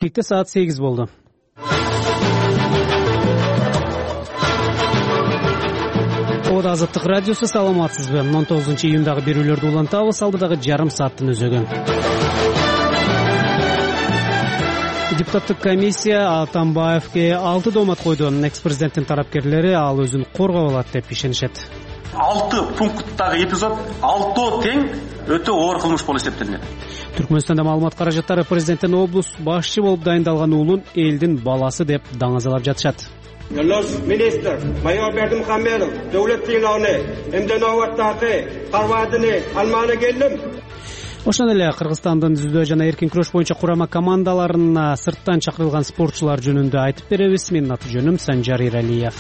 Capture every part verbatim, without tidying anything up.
Кекте саат сегиз болду. Ода Азаттык радиосу, саламатсызбы? он тогузунчу июндагы берүүлөрдү улантабыз. Алдыдагы жарым сааттын өзөгү. Депутаттык комиссия Атамбаевге алты доомат койду. Экс-президенттин тарапкерлери ал өзүн коргоп алат деп ишенишет. алты пункттагы эпизод алтоо тең өтө оор кылмыш болуп эсептелинет. Түркмөнстанда маалымат каражаттары президенттин облус башчы болуп дайындалган уулун элдин баласы деп даңазалап жатышат. Yolunuz Minister Mayor Berdimuhamedov devlet sыйлауны эмден оваттакы карвадыны алманы келдим. Ошондой эле Кыргызстандын дзюдо жана эркин күрөш боюнча курама командаларына сырттан чакырылган спортчулар жөнүндө айтып беребиз. Менин аты жөнүм Санжар Иралиев.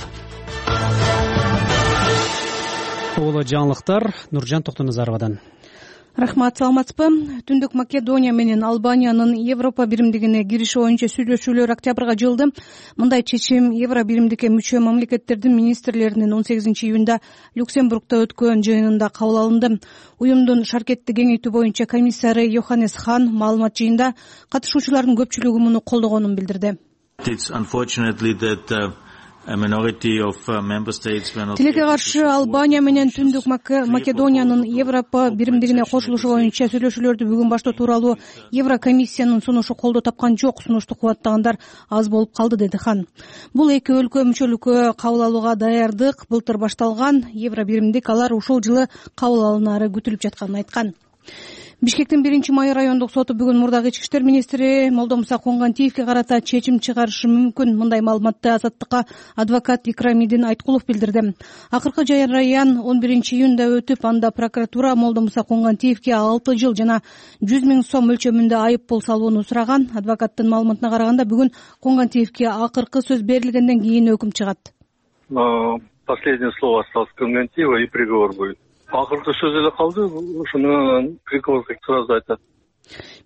Толо жаңылыктар Нуржан Токтоназаровадан. Рахмат, саламатсызбы? Түндүк Македония менен Албаниянын Европа биримдигине кириши боюнча сүйлөшүүлөр октябрга жылды. Мындай чечим Евро биримдикке мүчө мамлекеттердин министрлеринин он сегизинчи июнда Люксембургда өткөн жыйынында кабыл алынды. Уюмдун шаркетти кеңейтүү боюнча комиссары Йоханнес Хан маалымат жыйында катышуучулардын көпчүлүгү муну колдогонун билдирди. Тилекке каршы Албания менен Түндүк Македониянын Европа биримдигине кошулушу боюнча сүйлөшүүлөрдү бүгүн баштоо тууралуу Еврокомиссиянын сунушу колдоо тапкан жок. Сунушту кубаттагандар аз болуп калды, деди Хан. Бул эки өлкө мүчөлүккө кабыл алууга даярдык былтыр башталган. Евро биримдик алар ушул жылы кабыл алынары күтүлүп жатканын айткан. Бишкектин биринчи май райондук соту бүгүн мурдагы ички иштер министри Молдомуса Конгантиевке карата чечим чыгарышы мүмкүн. Мындай маалыматты Азаттыкка адвокат Икрамидин Айткулов билдирди. Акыркы жараян он биринчи июнда өтүп, анда прокуратура Молдомуса Конгантиевке алты жыл жана жүз миң сом мөлчөмүндө айып пул салууну сураган. Адвокаттын маалыматына караганда бүгүн Конгантиевке акыркы сөз берилгенден кийин өкүм чыгат. Последнее слово осталось Конгантиева и приговор будет. Акыркы сөз эле калды, ошону приговор сразу айтат.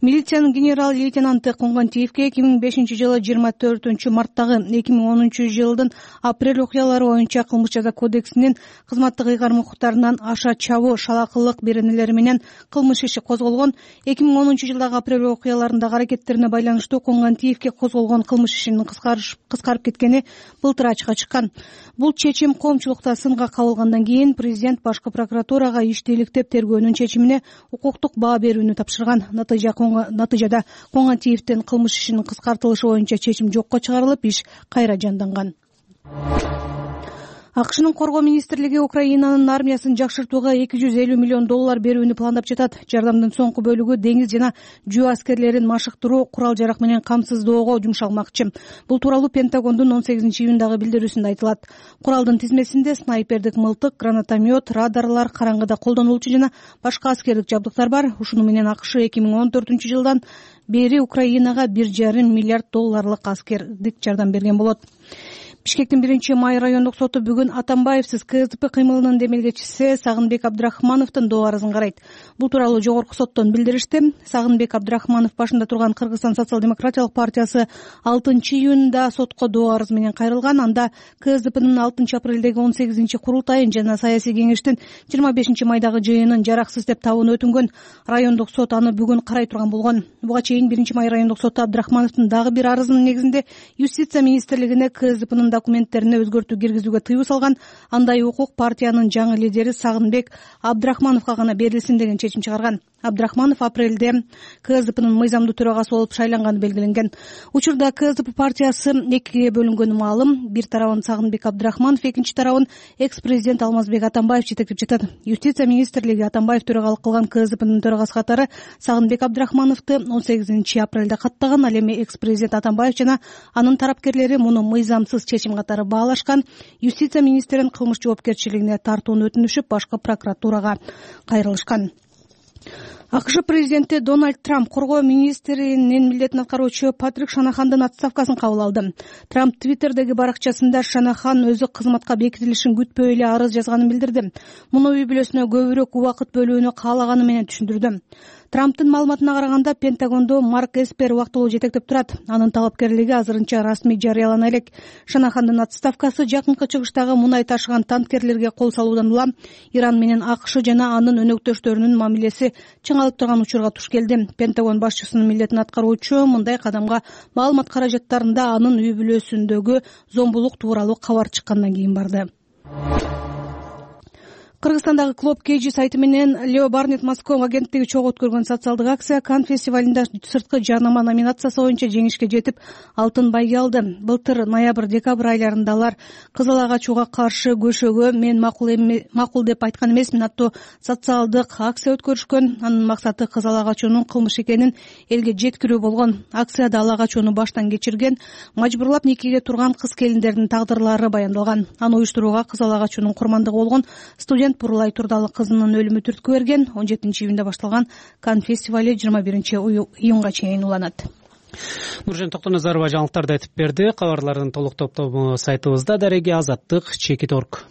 Милициянын генерал-лейтенанты Конгантиевке эки миң бешинчи жылы жыйырма төртүнчү марттагы эки миң онунчу жылдын апрель окуялары боюнча кылмыш жаза кодексинин кызматтык ыйгарым укуктарынан аша чабуу, шалакылык беренелери менен кылмыш иши козголгон. эки миң онунчу жылдагы апрель окуяларындагы аракеттерине байланыштуу Конгантиевке козголгон кылмыш ишинин кыскарып кеткени былтыр ачыкка чыккан. Бул чечим коомчулукта сынга кабылгандан кийин президент башкы прокуратурага ишти иликтеп тергөөнүн чечимине укуктук баа берүүнү тапшырган. Натыйжада Конгантиевдин кылмыш ишинин кыскартылышы боюнча чечим жокко чыгарылып, иш кайра жанданган. АКШнын коргоо министрлиги Украинанын армиясын жакшыртууга эки жүз элүү миллион доллар берүүнү пландап жатат. Жардамдын соңку бөлүгү деңиз жана жөө аскерлерин машыктыруу, курал-жарак менен камсыздоого жумшалмакчы. Бул тууралуу Пентагондун он сегизинчи июндагы билдирүүсүндө айтылат. Куралдын тизмесинде снайпердик мылтык, гранатомет, радарлар, караңгыда колдонулчу жана башка аскердик жабдыктар бар. Ушуну менен АКШ эки миң он төртүнчү жылдан бери Украинага бир жарым миллиард долларлык аскердик жардам берген болот. Бишкектин биринчи май райондук соту бүгүн Атамбаевсиз КСДП кыймылынын демилгечиси Сагынбек Абдрахмановдун доо арызын карайт. Бул тууралуу жогорку соттон билдиришти. Сагынбек Абдрахманов башында турган Кыргызстан социал-демократиялык партиясы алтынчы июнда сотко доо арыз менен кайрылган. Анда КСДПнын алтынчы апрелдеги он сегизинчи курултайын жана саясий кеңештин жыйырма бешинчи майдагы жыйынын жараксыз деп табууну өтүнгөн. Райондук сот аны бүгүн карай турган болгон. Буга чейин биринчи май райондук соту Абдрахмановдун дагы бир арызынын негизинде Юстиция министрлигине КСДПнын документтерине өзгөртүү киргизүүгө тыюу салган. Андай укук партиянын жаңы лидери Сагынбек Абдрахмановго гана берилсин деген чечим чыгарган. Абдрахманов апрелде КСДПнын мыйзамдуу төрагасы болуп шайланганы белгиленген. Учурда КСДП партиясы экиге бөлүнгөнү маалым. Бир тарабын Сагынбек Абдрахманов, экинчи тарабын экс-президент Алмазбек Атамбаев жетектеп жатат. Юстиция министрлиги Атамбаев төрагалык кылган КСДПнын төрагасы катары Сагынбек Абдрахмановду он сегизинчи апрелде каттаган. Ал эми экс-президент Атамбаев жана анын тарапкерлери муну мыйзамсыз чечим катары баалашкан. Юстиция министрин кылмыш жоопкерчилигине тартууну өтүнүшүп, башкы прокуратурага кайрылышкан. АКШ президенти Дональд Трамп коргоо министринин милдетин аткаруучу Патрик Шанахандын отставкасын кабыл алды. Трамп Твиттердеги баракчасында Шанахан өзү кызматка бекитилишин күтпөй эле арыз жазганын билдирди. Муну үй бүлөсүнө көбүрөөк убакыт бөлүүнү каалаганы менен түшүндүрдү. Трамптын маалыматына караганда Пентагондо Марк Эспер убактылуу жетектеп турат. Анын талапкерлиги азырынча расмий жарыялана элек. Шанахандын отставкасы жакынкы чыгыштагы мунай ташыган танкерлерге кол салуудан улам Иран менен АКШ жана анын өнөктөштөрүнүн мамилеси чыңалып алып турган учурга туш келди. Пентагон башчысынын милдетин аткаруучу мындай кадамга маалымат каражаттарында анын үй бүлөсүндөгү зомбулук тууралуу кабар чыккандан кийин барды. Кыргызстандагы Клуб Кеji сайты менен Лео Барнет Москва агенттиги чогуу өткөргөн социалдык акция Кан фестивалында сырткы жарнама номинациясы боюнча жеңишке жетип, алтын байге алды. Былтыр ноябрь-декабрь айларында алар кызыл агач ууга каршы көшөгө мен макул макул деп айткан эмесмин аттуу социалдык акция өткөрүшкөн. Анын максаты кызыл агач уунун кылмыш экенин элге жеткирүү болгон. Акцияда ал агач ууну баштан кечирген, мажбурлап никеге турган кыз-келиндердин тагдырлары баяндалган. Аны уюштурууга кызыл агач уунун курмандыгы болгон студент Пурулай Турдалы кызынын өлүмү түрткү берген. он жетинчи июнда башталган Кан фестивали жыйырма биринчи июнга чейин уланат. Нуржан Токтоназарова жаңылыктарды айтып берди. Кабарлардын толук топтому сайтыбызда. Дареги Азаттык чекит точка орг.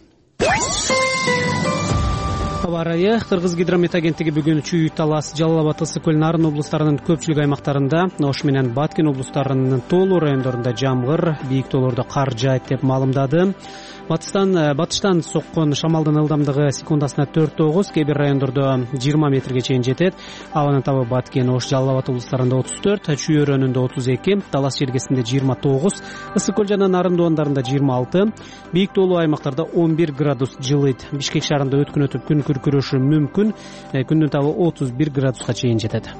Аба ырайы. Кыргыз гидромет агенттиги бүгүн Чүй, Талас, Жалал Абад, Ысык көл, Нарын облустарынын көпчүлүк аймактарында, Ош менен Баткен облустарынын тоолуу райондорунда жамгыр, бийик тоолордо кар жаайт деп маалымдады. Батыштан батыштан соккон шамалдын ылдамдыгы секундасына төрт тогуз, кээ бир райондордо жыйырма метрге чейин жетет. Абанын табы Баткен, Ош, Жалал Абад облустарында отуз төрт, Чүй өрөөнүндө отуз эки, Талас жергесинде жыйырма тогуз, Ысык көл жана Нарын доондарында жыйырма алты, бийик тоолуу аймактарда он бир градус жылыйт. Бишкек шаарында өткөн өтүп күн күркүрөшү мүмкүн. Күндүн табы отуз бир градуска чейин жетет.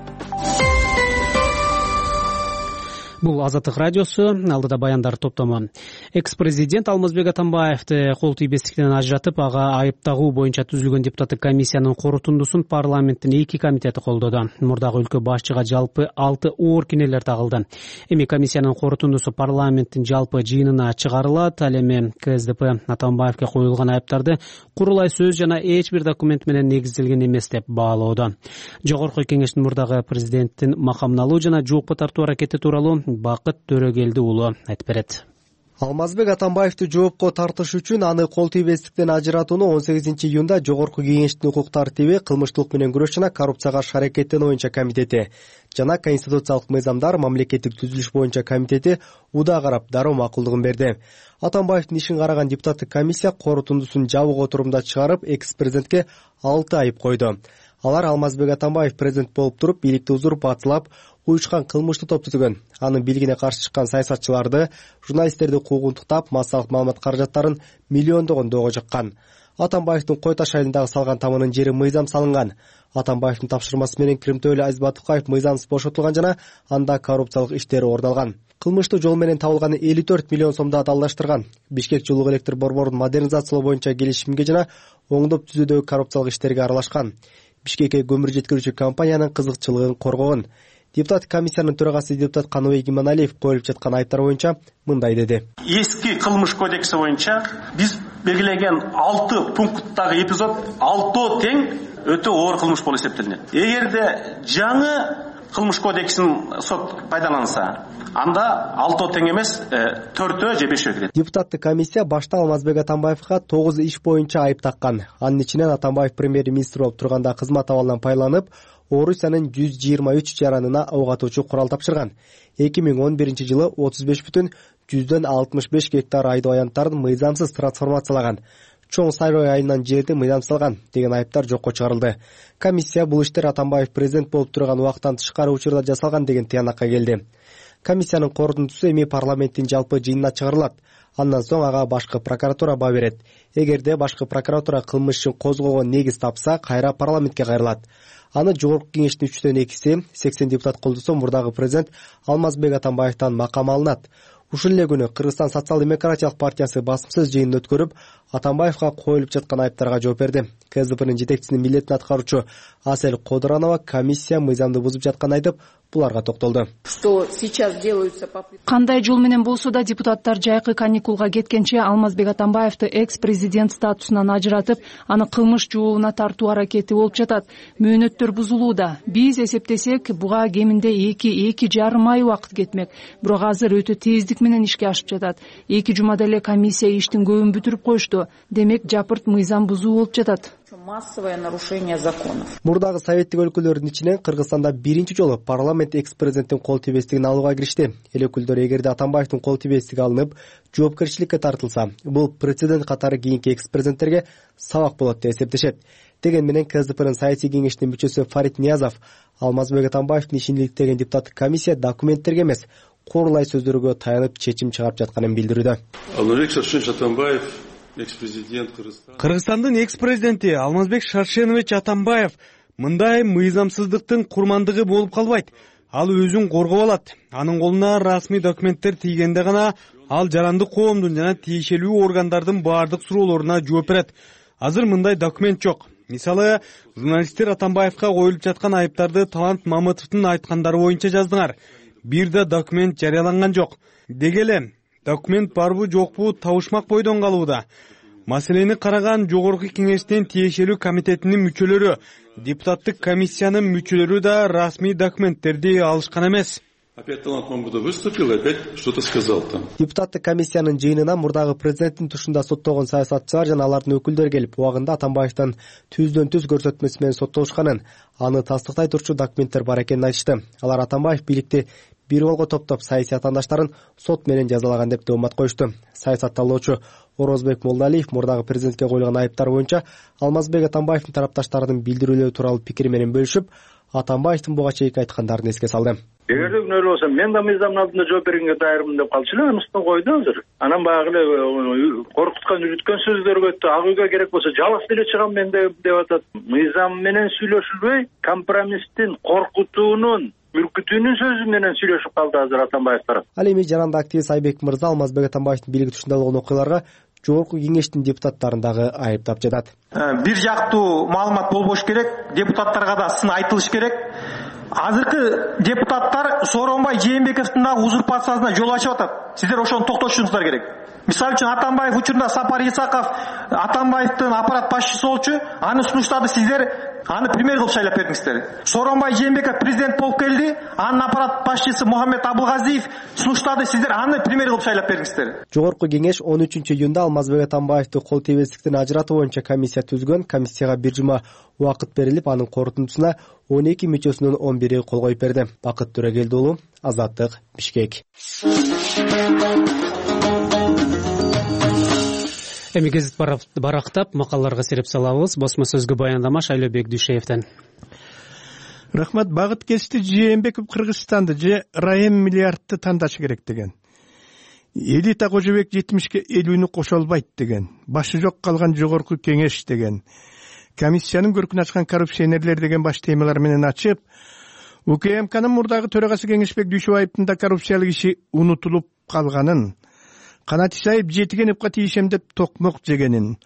Бул Азаттык радиосу. Алдыда баяндар топтому. Экс-президент Алмазбек Атамбаевди кол тийбестиктен ажыратып, ага айып тагуу боюнча түзүлгөн депутаттык комиссиянын корутундусун парламенттин эки комитети колдоду. Мурдагы өлкө башчыга жалпы алты оор кинелер тагылды. Эми комиссиянын корутундусу парламенттин жалпы жыйынына чыгарылат. Ал эми КСДП Атамбаевге коюлган айыптарды курулай сөз жана эч бир документ менен негизделген эмес деп баалоодо. Жогорку кеңештин мурдагы президенттин макамын алуу жана жоопко тартуу аракети тууралуу Бакыт Төрөгелди уулу айтып берет. Алмазбек Атамбаевди жоопко тартыш үчүн аны кол тийбестиктен ажыратууну он сегизинчи июнда Жогорку кеңештин укук тартиби, кылмыштуулук менен күрөш жана коррупцияга каршы аракеттенүү боюнча комитети жана конституциялык мыйзамдар мамлекеттик түзүлүш боюнча комитети уда карап дароо макулдугун берди. Атамбаевдин ишин караган депутаттык комиссия корутундусун жабык отурумда чыгарып, экс-президентке алты айып койду. Алар Алмазбек Атамбаев президент болуп туруп, бийликти узуруп атылап, уюшкан кылмыштуу топ түзгөн. Анын бийлигине каршы чыккан саясатчыларды, журналисттерди куугунтуктап, массалык маалымат каражаттарын миллиондогон доого жыккан. Атамбаевдин Кой Таш айылындагы салган тамынын жери мыйзам салынган. Атамбаевдин тапшырмасы менен Кримтөөлү Азиз Батукаев мыйзамсыз бошотулган жана анда коррупциялык иштери орун алган. Кылмыштуу жол менен табылган элүү төрт миллион сомду адалдаштырган. Бишкек жылуу электр борборун модернизациялоо боюнча келишимге жана оңдоп түзүүдөгү коррупциялык иштерге аралашкан. Бишкекке көмүр жеткирүүчү компаниянын кызыкчылыгын коргогон. Депутаттык комиссиянын төрагасы депутат Каныбек Иманалиев коюлуп жаткан айыптар боюнча мындай деди. Эски кылмыш кодекси боюнча биз белгилеген алты пункттагы эпизод алтоо тең өтө оор кылмыш болуп эсептелинет. Эгерде жаңы кылмыш кодексин сот пайдаланса, анда алтоо тең эмес, төртөө же бешөө кирет. Депутаттык комиссия башта Алмазбек Атамбаевга тогуз иш боюнча айып таккан. Анын ичинен Атамбаев премьер-министр болуп турганда кызмат абалынан пайдаланып, Орусиянын жүз жыйырма үч жаранына ок атуучу курал тапшырган. эки миң он биринчи жылы отуз беш бүтүн жүздөн алтымыш беш гектар айдоо аянттарын мыйзамсыз трансформациялаган. Чоң Сайрой айылынан жерди мыйзамсыздалган деген айыптар жокко чыгарылды. Комиссия бул иштер Атамбаев президент болуп турган убактан тышкары учурда жасалган деген тыянакка келди. Комиссиянын корутундусу эми парламенттин жалпы жыйынына чыгарылат. Андан соң ага башкы прокуратура баа берет. Эгерде башкы прокуратура кылмыш ишин козгоого негиз тапса, кайра парламентке кайрылат. Аны Жогорку кеңештин үчтөн экиси, сексен депутат колдосо, мурдагы президент Алмазбек Атамбаевден макам алынат. Ушул эле күнү Кыргызстан социал-демократиялык партиясы басымсыз жыйын өткөрүп, Атамбаевга коюлуп жаткан айыптарга жооп берди. КСДПнын жетекчисинин милдетин аткаруучу Асель Кодуранова комиссия мыйзамды бузуп жатканын айтып, буларга токтолду. Кандай жол менен болсо да депутаттар жайкы каникулга кеткенче Алмазбек Атамбаевди экс-президент статусунан ажыратып, аны кылмыш жообуна тартуу аракети болуп жатат. Мөөнөттөр бузулууда. Биз эсептесек, буга кеминде эки эки жарым ай убакыт кетмек. Бирок азыр өтө тездик менен ишке ашып жатат. Эки жумада эле комиссия иштин көбүн бүтүрүп коюшту. Демек, жапырт мыйзам бузуу болуп жатат. Массовое нарушение законов. Мурдагы советтик өлкөлөрдүн ичинен Кыргызстанда биринчи жолу парламент экс-президенттин кол тийбестигин алууга киришти. Эл өкүлдөрү эгерде Атамбаевдин кол тийбестиги алынып, жоопкерчиликке тартылса, бул прецедент катары кийинки экс-президенттерге сабак болот деп эсептешет. деген менен КСДПнын саясий кеңешинин мүчөсү Фарид Ниязов Алмазбек Атамбаевдин ишин иликтеген депутаттык комиссия документтерге эмес, курулай сөздөргө таянып чечим чыгарып жатканын билдирүүдө. Алмазбек Шаршенович Атамбаев, экс-президент Кыргызстан. Кыргызстандын экс-президенти Алмазбек Шаршенович Атамбаев мындай мыйзамсыздыктын курмандыгы болуп калбайт. Ал өзүн коргоп алат. Анын колуна расмий документтер тийгенде гана ал жарандык коомдун жана тиешелүү органдардын баардык суроолоруна жооп берет. Азыр мындай документ жок. Мисалы, журналисттер Атамбаевка коюлуп жаткан айыптарды Талант Мамытовдун айткандары боюнча жаздыңар. Бир да документ жарыяланган жок. Деги эле документ барбы жокпу табышмак бойдон калууда. Маселени караган жогорку кеңештин тиешелүү комитетинин мүчөлөрү, депутаттык комиссиянын мүчөлөрү да расмий документтерди алышкан эмес. Опять Талант Мамытов выступил и опять что-то сказал там. Депутаттык комиссиянын жыйынына мурдагы президенттин тушунда соттолгон саясатчылар жана алардын өкүлдөрү келип, убагында Атамбаевдин түздөн түз көрсөтмөсү менен соттолушканын, аны тастыктай турчу документтер бар экенин айтышты. Алар Атамбаев бийликти бир колго топтоп саясий атаандаштарын сот менен жазалаган деп доомат коюшту. Саясатталуучу Орозбек Молдалиев мурдагы президентке коюлган айыптар боюнча Алмазбек Атамбаевдин тарапташтарынын билдирүүлөрү тууралуу пикири менен бөлүшүп, Атамбаевдин буга чейинки айткандарын эске салды. Эгерде күнөөлүү болсо, мен да мыйзамдын алдында жооп бергенге даярмын деп калчу эле, анысынан койду азыр. Анан баягы эле коркуткан, үрүткөн сөздөргө өттү. Ак үйгө керек болсо жалгыз деле чыгам мен деп атат. Мыйзам менен сүйлөшүлбөй, компромисстин, коркутуунун, үркүтүүнүн сөзү менен сүйлөшүп калды азыр Атамбаев тарап. Ал эми жаранды активист Айбек Мырза Алмазбек Атамбаевдин бийлиги тушунда болгон окуяларга жогорку кеңештин депутаттарын дагы айыптап жатат. Бир жактуу маалымат болбош керек, депутаттарга да сын айтылыш керек. Азыркы депутаттар Сооронбай Жээнбековдун дагы узурпациясына жол ачып атат. Сиздер ошону токтотушуңуздар керек. Мисалы үчүн Атамбаев учурунда Сапар Исаков Атамбаевдин аппарат башчысы болчу, аны сунуштады, сиздер аны премьер кылып шайлап бердиңиздер. Сооронбай Жээнбеков президент болуп келди, анын аппарат башчысы Мухаммед Абылгазиев сунуштады, сиздер аны премьер кылып шайлап бердиңиздер. Жогорку кеңеш он үчүнчү июнда Алмазбек Атамбаевди кол тийбестиктен ажыратуу боюнча комиссия түзгөн. Комиссияга бир жума убакыт берилип, анын корутундусуна он эки мүчөсүнүн он бири кол коюп берди. Бакыт Төрөгелди уулу, Азаттык, Бишкек. Эми гезит барактап макалаларга сереп салабыз. Басма сөзгө баяндама Шайлообек Дүйшеевден. Рахмат. Багыт кести Жээнбеков Кыргызстанды же райым миллиардты тандашы керек деген. Элита Кожобек жетимишке элүүнү кошо албайт деген. Башы жок калган жогорку кеңеш деген. Комиссиянын көркүн ачкан коррупционерлер деген баш темалар менен ачып, УКМКнын мурдагы төрагасы Кеңешбек Дүйшөбаевдин да коррупциялык иши унутулуп калганын, Канат Исаев жетигеневка тийишем деп токмок жегенин,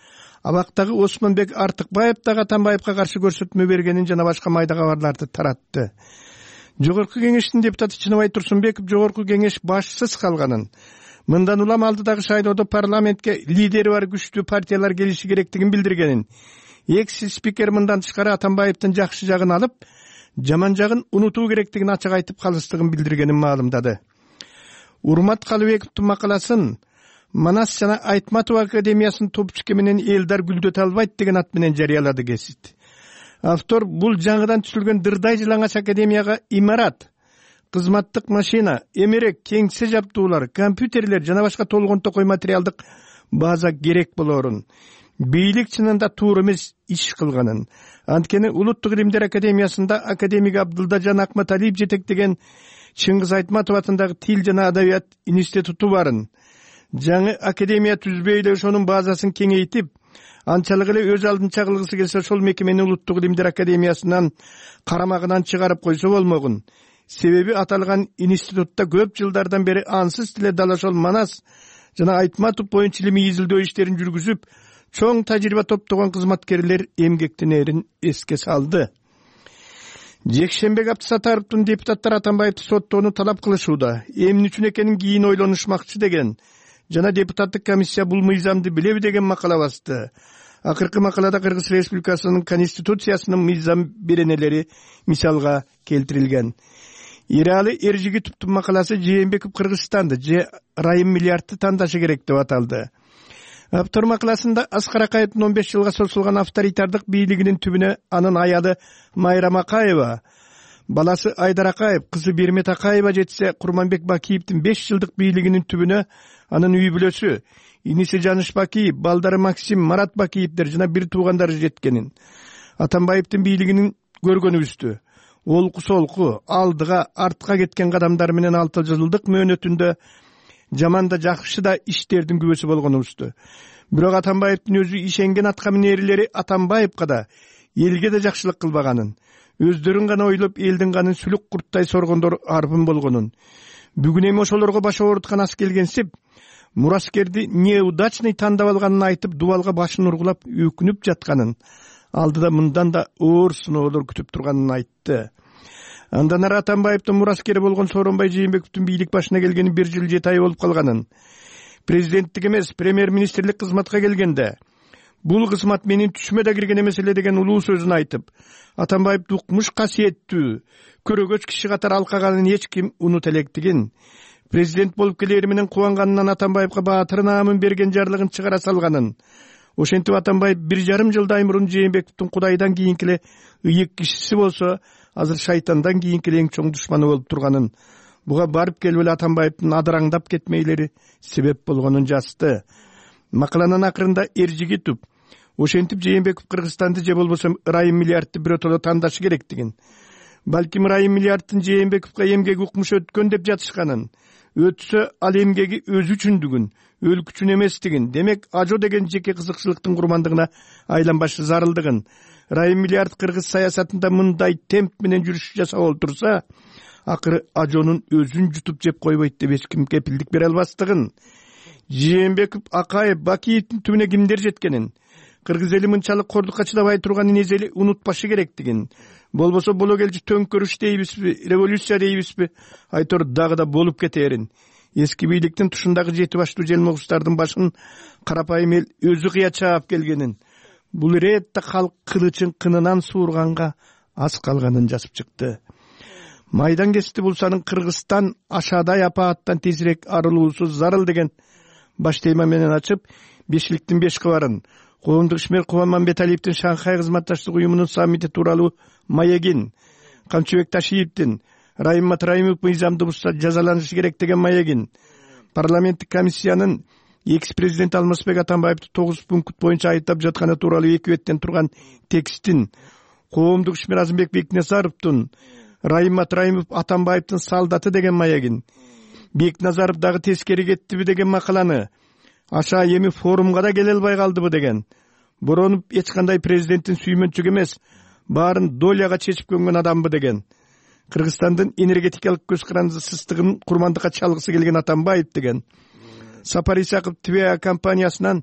абактагы Осмонбек Артыкбаев дагы Атамбаевка каршы көрсөтмө бергенин жана башка майда кабарларды таратты. Жогорку кеңештин депутаты Чыныбай Турсунбеков жогорку кеңеш башсыз калганын, мындан улам алдыдагы шайлоодо парламентке лидери бар күчтүү партиялар келиши керектигин билдиргенин, экс-спикер мындан тышкары Атамбаевдин жакшы жагын алып, жаман жагын унутуу керектигин ачык айтып калыстыгын билдиргенин маалымдады. Урмат Калыбековдун макаласын Манас жана Айтматов академиясынын топчуке менен Элдар гүлдөтө албайт деген ат менен жарыялады гезит. Автор бул жаңыдан түзүлгөн дырдай жылаңач академияга имарат, кызматтык машина, эмерек, кеңсе жабдуулар, компьютерлер жана башка толгон токой материалдык база керек болорун, бийлик чынында туура эмес иш кылганын, анткени Улуттук илимдер академиясында академик Абдылдажан Акматалиев жетектеген Чыңгыз Айтматов атындагы тил жана адабият институту барын. Жаңы академия түзбөй эле ошонун базасын кеңейтип, анчалык эле өз алдынча кылгысы келсе ошол мекемени Улуттук илимдер академиясынан карамагынан чыгарып койсо болмогун. Себеби аталган институтта көп жылдардан бери ансыз тиле дал ошол Манас жана Айтматов боюнча илимий изилдөө иштерин жүргүзүп, чоң тажрыйба топтогон кызматкерлер эмгектенерин эске салды. Жекшембек Абдысатаровдун депутаттар Атамбаевди соттоону талап кылышууда. Эмне үчүн экенин кийин ойлонушмакчы деген жана депутаттык комиссия бул мыйзамды билеби деген макала басты. Акыркы макалада Кыргыз Республикасынын Конституциясынын мыйзам беренелери мисалга келтирилген. Иралы Эржигитовдун макаласы Жээнбеков Кыргызстанды же райым миллиардты тандашы керек деп аталды. Автор макаласында Аскар Акаевдин он беш жылга созулган авторитардык бийлигинин түбүнө анын аялы Майрам Акаева, баласы Айдар Акаев, кызы Бермет Акаева жетсе, Курманбек Бакиевдин беш жылдык бийлигинин түбүнө анын үй бүлөсү, иниси Жаныш Бакиев, балдары Максим, Марат Бакиевдер жана бир туугандары жеткенин. Атамбаевдин бийлигинин көргөнүбүздү олку солку алдыга артка кеткен кадамдар менен алты жылдык мөөнөтүндө жаман да жакшы да иштердин күбөсү болгонубузду. Бирок Атамбаевдин өзү ишенген аткаминерлери Атамбаевга да элге да жакшылык кылбаганын, өздөрүн гана ойлоп элдин канын сүлүк курттай соргондор арбын болгонун, бүгүн эми ошолорго баш ооруткан ас келгенсип мураскерди неудачный тандап алганын айтып дубалга башын ургулап өкүнүп жатканын, алдыда мындан да оор сыноолор күтүп турганын айтты. Андан ары Атамбаевдин мураскери болгон Сооронбай Жээнбековдун бийлик башына келгени бир жыл жети ай болуп калганын, президенттик эмес премьер-министрлик кызматка келгенде бул кызмат менин түшүмө да кирген эмес эле деген улуу сөзүн айтып, Атамбаевди укмуш касиеттүү көрөгөч киши катары алкаганын эч ким унута электигин, президент болуп келери менен кубанганынан Атамбаевга баатыр наамын берген жарлыгын чыгара салганын, ошентип Атамбаев бир жарым жылдай мурун Жээнбековдун Кудайдан кийинки эле ыйык кишиси болсо, азыр шайтандан кийинки эң чоң душманы болуп турганын, буга барып келип эле Атамбаевдин адыраңдап кетмейлери себеп болгонун жазды. Макаланын акырында Эржигитов ошентип Жээнбеков Кыргызстанды же болбосо ырайым миллиардты биротоло тандашы керектигин, балким ырайым миллиардтын Жээнбековго эмгеги укмуш өткөн деп жатышканын, өтсө ал эмгеги өзү үчүндүгүн, өлкө үчүн эместигин, демек ажо деген жеке кызыкчылыктын курмандыгына айланбашы зарылдыгын, ырайым миллиард кыргыз саясатында мындай темп менен жүрүш жасап олтурса, акыры ажонун өзүн жутуп жеп койбойт деп эч ким кепилдик бере албастыгын, Жээнбеков, Акаев, Бакиевдин түбүнө кимдер жеткенин, кыргыз эли мынчалык кордукка чыдабай турганын эзели унутпашы керектигин, болбосо боло келчү төңкөрүш дейбизби, революция дейбизби, айтор дагы да болуп кетерин. Эски бийликтин тушундагы жети баштуу желмогустардын башын карапайым эл өзү кыя чаап келгенин, бул иретте калк кылычын кынынан суурганга аз калганын жазып чыкты. Майдан кести булсанын Кыргызстан ашадай апааттан тезирээк арылуусу зарыл деген баш тема менен ачып, бешиликтин беш кабарын, коомдук ишмер Кубанман Беталиевдин Шанхай кызматташтык уюмунун саммити тууралуу маегин, Камчыбек Ташиевдин Райым Матраимов мыйзамды бузса жазаланышы керек деген маегин, парламенттик комиссиянын экс-президент Алмазбек Атамбаевди тогуз пункт боюнча айыптап жатканы тууралуу эки беттен турган текстин, коомдук ишмер Азымбек Бекназаровдун Райым Матраимов Атамбаевдин салдаты деген маегин, Бекназаров дагы тескери кеттиби деген макаланы, аша эми форумга да келе албай калдыбы деген, Боронов эч кандай президенттин сүймөнчүгү эмес, баарын доляга чечип көнгөн адамбы деген, Кыргызстандын энергетикалык көз карандысыздыгын курмандыкка чалгысы келген Атамбаев деген, Сапар Исаков Твеа компаниясынан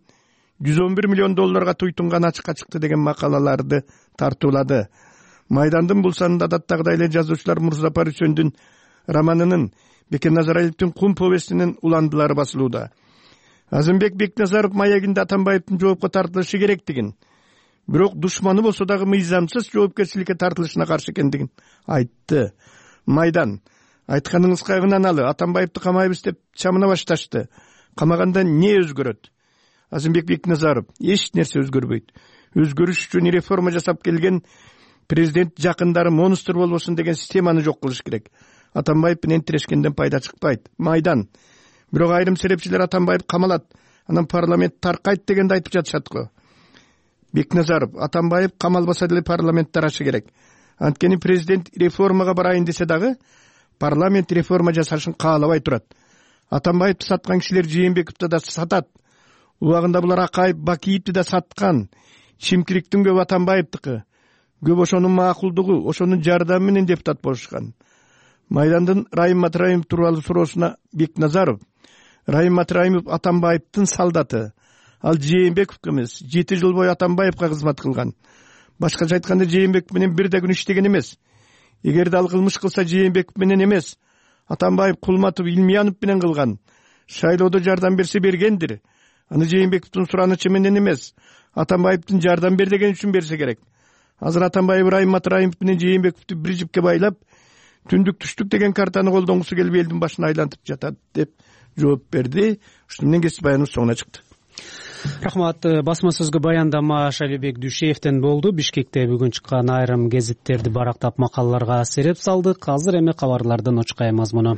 жүз он бир миллион долларга туйтунган ачыкка чыкты деген макалаларды тартуулады. Майдандын бул санында адаттагыдай эле жазуучулар Мурзапар Үсөндүн романынын, Бекен Назаралиевдин Кум повестинин уландылары басылууда. Азымбек Бекназаров маегинде Атамбаевдин жоопко тартылышы керектигин, бирок душманы болсо дагы мыйзамсыз жоопкерчиликке тартылышына каршы экендигин айтты. Майдан айтканыңыз кайгынаналы, Атамбаевди камайбыз деп чамына башташты. Камаганда не өзгөрөт? Азымбек Бекназаров: эч нерсе өзгөрбөйт. Өзгөрүш үчүн реформа жасап келген президент жакындары монстр болбосун деген системаны жок кылыш керек. Атамбаев менен тирешкенден пайда чыкпайт. Майдан: бирок айрым серепчилер Атамбаев камалат, анан парламент таркайт дегенди айтып жатышат го. Бекназаров: Атамбаев камалбаса деле парламент тарашы керек. Анткени президент реформага барайын десе дагы парламент реформа жасашын каалабай турат. Атамбаевди саткан кишилер Жээнбековду да сатат. Убагында булар Акаев, Бакиевди да саткан. Чимкиликтин көбү Атамбаевдики. Көп ошонун макулдугу, ошонун жардамы менен депутат болушкан. Майдандын Райым Матраимов тууралуу суроосуна Бекназаров: Райым Матраимов Атамбаевдин салдаты. Ал Жээнбековго эмес, жети жыл бою Атамбаевга кызмат кылган. Башкача айтканда Жээнбеков менен бир да күн иштеген эмес. Эгерде ал кылмыш кылса Жээнбеков менен эмес, Атамбаев Кулматов, Илмиянов менен кылган. Шайлоодо жардам берсе бергендир. Аны Жээнбековдун суранычы менен эмес, Атамбаевдин жардам бер деген үчүн берсе керек. Азыр Атамбаев Райым Матраимов менен Жээнбековду бир жипке байлап, түндүк түштүк деген картаны колдонгусу келип элдин башын айлантып жатат деп жооп берди. Ушуну менен кесип баяныбыз соңуна чыкты. Рахмат. Басма сөзгө баяндама Шалибек Дүйшеевден болду. Бишкекте бүгүн чыккан айрым гезиттерди барактап макалаларга сереп салдык. Азыр эми кабарлардын очкай мазмуну.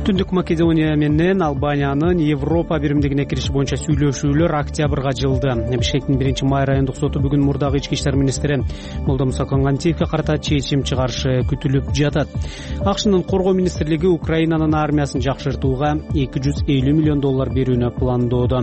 Түндүк Македония менен Албаниянын Европа биримдигине кириши боюнча сүйлөшүүлөр октябрга жылды. Бишкектин биринчи май райондук соту бүгүн мурдагы ички иштер министри Молдомуса Конгантиевге карата чечим чыгарышы күтүлүп жатат. АКШнын коргоо министрлиги Украинанын армиясын жакшыртууга эки жүз элүү миллион доллар берүүнү пландоодо.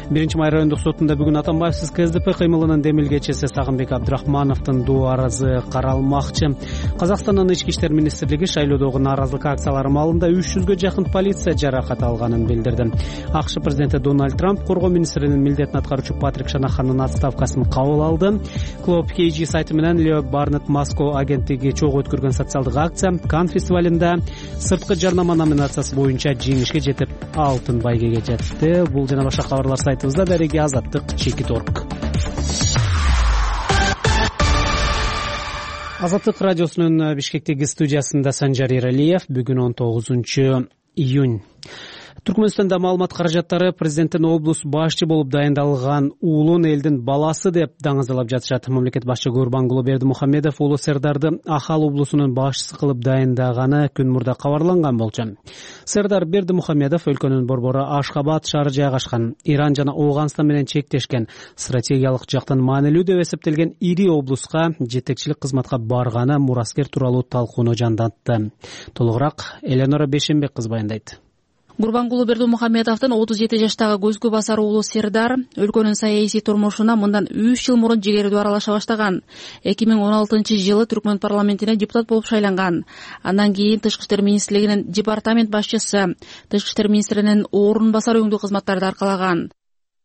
биринчи май райондук сотунда бүгүн Атамбаевсиз КСДП кыймылынын демилгечиси Сагынбек Абдрахмановдун доо арызы каралмакчы. Казакстандын ички иштер министрлиги шайлоодогу нааразылык акциялары маалында үч жүзгө жакын полиция жаракат алганын билдирди. АКШ президенти Дональд Трамп коргоо министринин милдетин аткаруучу Патрик Шанаханын отставкасын кабыл алды. Клуб кей джи сайты менен Лео Барнетт Москва агенттиги чогуу өткөргөн социалдык акция Кан фестивалында сырткы жарнама номинациясы боюнча жеңишке жетип, алтын байгеге жетти. Бул жана башка кабарлар сайтыбызда. Дареги Азаттык Чекит орг. Азаттык радиосунун Бишкектеги студиясында Санжар Эралиев. Бүгүн он тогузунчу июнь. Түркмөнстанда маалымат каражаттары президенттин облус башчы болуп дайындалган уулун элдин баласы деп даңазалап жатышат. Мамлекет башчы Гурбангулы Бердимухамедов уулу Сердарды Ахал облусунун башчысы кылып дайындаганы күн мурда кабарланган болчу. Сердар Бердимухамедов өлкөнүн борбору Ашхабад шаары жайгашкан, Иран жана Ооганстан менен чектешкен, стратегиялык жактан маанилүү деп эсептелген ири облуска жетекчилик кызматка барганы мураскер тууралуу талкууну жандантты. Толугураак Эленора Бешенбек кызы баяндайт. Гурбангулы Бердимухамедовдун отуз жети жаштагы көзгө басар уулу Сердар өлкөнүн саясий турмушуна мындан үч жыл мурун жигердүү аралаша баштаган. эки миң он алтынчы жылы Түркмөн парламентине депутат болуп шайланган. Андан кийин Тышкы иштер министрлигинин департамент башчысы, Тышкы иштер министринин орун басары өңдүү кызматтарды аркалаган.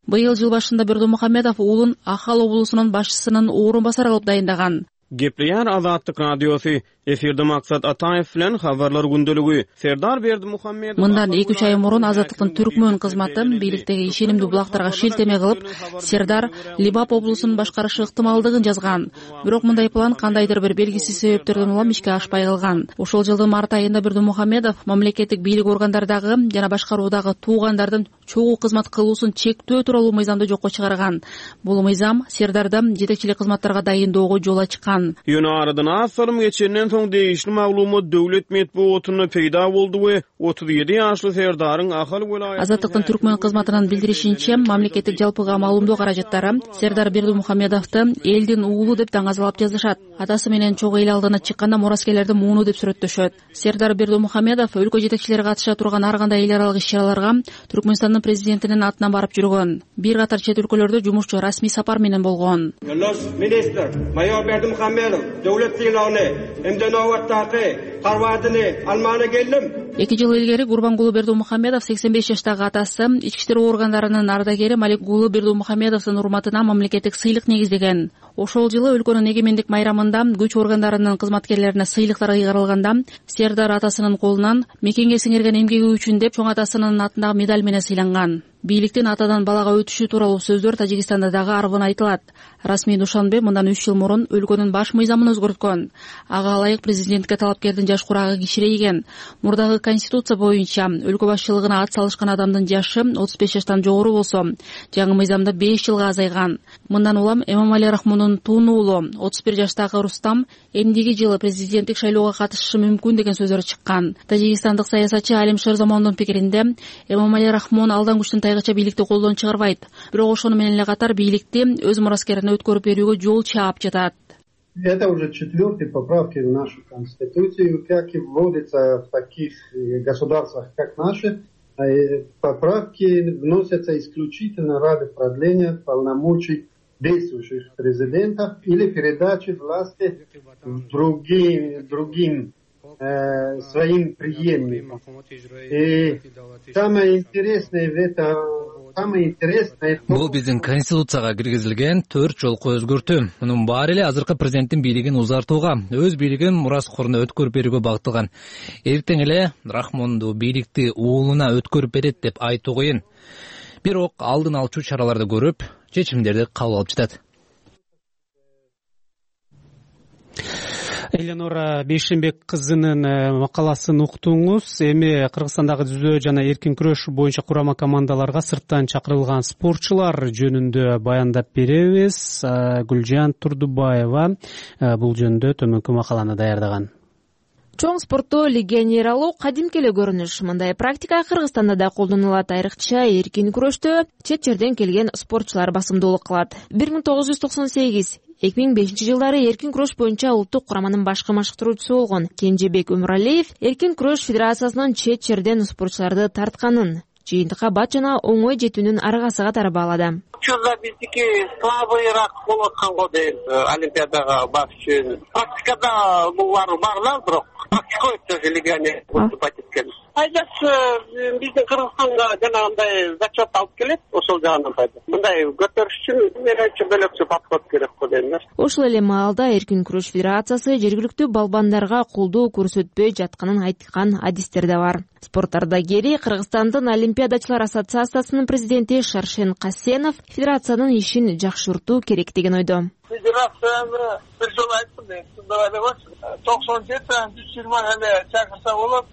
Быйыл жыл башында Бердимухамедов уулун Ахал облусунун башчысынын орун басары кылып дайындаган. Gepleyen Azatlık Radyosu efirde Maksat Ataev bilen haberler gündölügü Serdar Berdimuhamedov Мындан эки үч ай мурун Азаттыктын Түркмөн кызматы бийликтеги ишенимдүү булактарга шилтеме кылып, Сердар Либап облусун башкарышы ыктымалдыгын жазган. Бирок мындай план кандайдыр бир белгисиз себептерден улам ишке ашпай калган. Ошол жылдын март айында Бердимухамедов мамлекеттик бийлик органдардагы жана башкаруудагы туугандардын чогуу кызмат кылуусун чектөө тууралуу мыйзамды жокко чыгарган. Бул мыйзам Сердарды жетекчилик кызматтарга дайындоого жол ачкан. Yönarıdan asılım geçenden soň değişli maglumat döwlet medeniýetine peýda boldy we otuz yedi ýaşly Serdarın Ahal welaýatyny Азаттыктын Түркмөн кызматынын билдиришинче, мамлекеттик жалпыга маалымдоо каражаттары Сердар Бердимухамедовду элдин уулу деп даңазалап жазышат. Атасы менен чогуу эл алдына чыкканда мураскерлерди мууну деп сүрөттөшөт. Сердар Бердимухамедов өлкө жетекчилери катыша турган ар кандай эл аралык иш-чараларга Түркмөнстандын президентинин атынан барып жүргөн. Бир катар чет өлкөлөрдө жумушчу расмий сапар менен болгон. Министр Mayor Berdimuhamedov döwlet siýlawyny hemde nowatdaky karwadyny almana geldim. эки жыл илгери Гурбангулы Бердимухамедов сексен беш жаштагы атасы ички иштер органдарынын ардагери Маликгулы Бердимухамедовдун урматына мамлекеттик сыйлык негиздеген. Ошол жылы өлкөнүн эгемендик майрамында күч органдарынын кызматкерлерине сыйлыктар ыйгарылганда Сердар атасынын колунан мекенге сиңирген эмгеги үчүн деп чоң атасынын атындагы медаль менен сыйланган. Бийликтин атадан балага өтүшү тууралуу сөздөр Тажикстанда дагы арбын айтылат. Расмий Душанбе мындан үч жыл мурун өлкөнүн баш мыйзамын өзгөрткөн. Ага ылайык президентке талапкердин жаш курагы кичирейген. Мурдагы конституция боюнча өлкө башчылыгына ат салышкан адамдын жашы отуз беш жаштан жогору болсо, жаңы мыйзамда беш жылга азайган. Мындан улам Эмомали Рахмондун тун уулу отуз бир жаштагы Рустам эмдиги жылы президенттик шайлоого катышышы мүмкүн деген сөздөр чыккан. Тажикстандык саясатчы Алим Шерзамондун пикиринде, Эмомали Рахмон алдан күчтүн тайгача бийликти колдон чыгарбайт. Бирок ошону менен эле катар бийликти өз мураскерине өткөрүп берүүгө жол чаап жатат. Это уже четвертые поправки в нашу Конституцию, как и вводится в таких государствах, как наши. Поправки вносятся исключительно ради продления полномочий действующих президентов или передачи власти другим, другим э, своим преемникам. И самое интересное в этом Бул биздин конституцияга киргизилген төрт жолку өзгөртүү. Мунун баары эле азыркы президенттин бийлигин узартууга, өз бийлигин мураскоруна өткөрүп берүүгө багытталган. Эртең эле Рахмонду бийликти уулуна өткөрүп берет деп айтуу кыйын. Бирок алдын алчу чараларды көрүп, чечимдерди кабыл алып жатат. Эленора Бейшенбек кызынын макаласын уктуңуз. Эми Кыргызстандагы жүзөө жана эркин күрөш боюнча курама командаларга сырттан чакырылган спортчулар жөнүндө баяндап беребиз. Гүлжан Турдубаева бул жөнүндө төмөнкү макаланы даярдаган. Чоң спортто легионер алуу кадимки эле көрүнүш. Мындай практика Кыргызстанда да колдонулат. Айрыкча эркин күрөштө чет жерден келген спортчулар басымдуулук кылат. бир миң тогуз жүз токсон сегиз эки миң бешинчи жылдары эркин күрөш боюнча улуттук кураманын башкы машыктыруучусу болгон Кенжебек Өмүралиев эркин күрөш федерациясынын чет жерден спортчуларды тартканын, жыйынтыкка бат жана оңой жетүүнүн аргасы катары баалады. Учурда биздики слабыйраак болуп аткан го дейм, олимпиадага барыш үчүн. Практикада булар бар да, бирок практика өтө легионер выступать эткен. Пайдасы биздин Кыргызстанга жанагындай зачет алып келет, ошол жагынан пайда. Мындай көтөрүш үчүн менимче бөлөкчө подход керек го дейм. Ошол эле маалда эркин күрөш федерациясы жергиликтүү балбандарга колдоо көрсөтпөй жатканын айткан адистер да бар. Спорт ардагери Кыргызстандын Олимпиадачылар ассоциациясынын президенти Шаршен Касенов федерациянын ишин жакшыртуу керек деген ойдо. Федерацияны бир жолу айттым, мен тыңдабай эле токсон жети жүз жыйырма эле чакырса болот.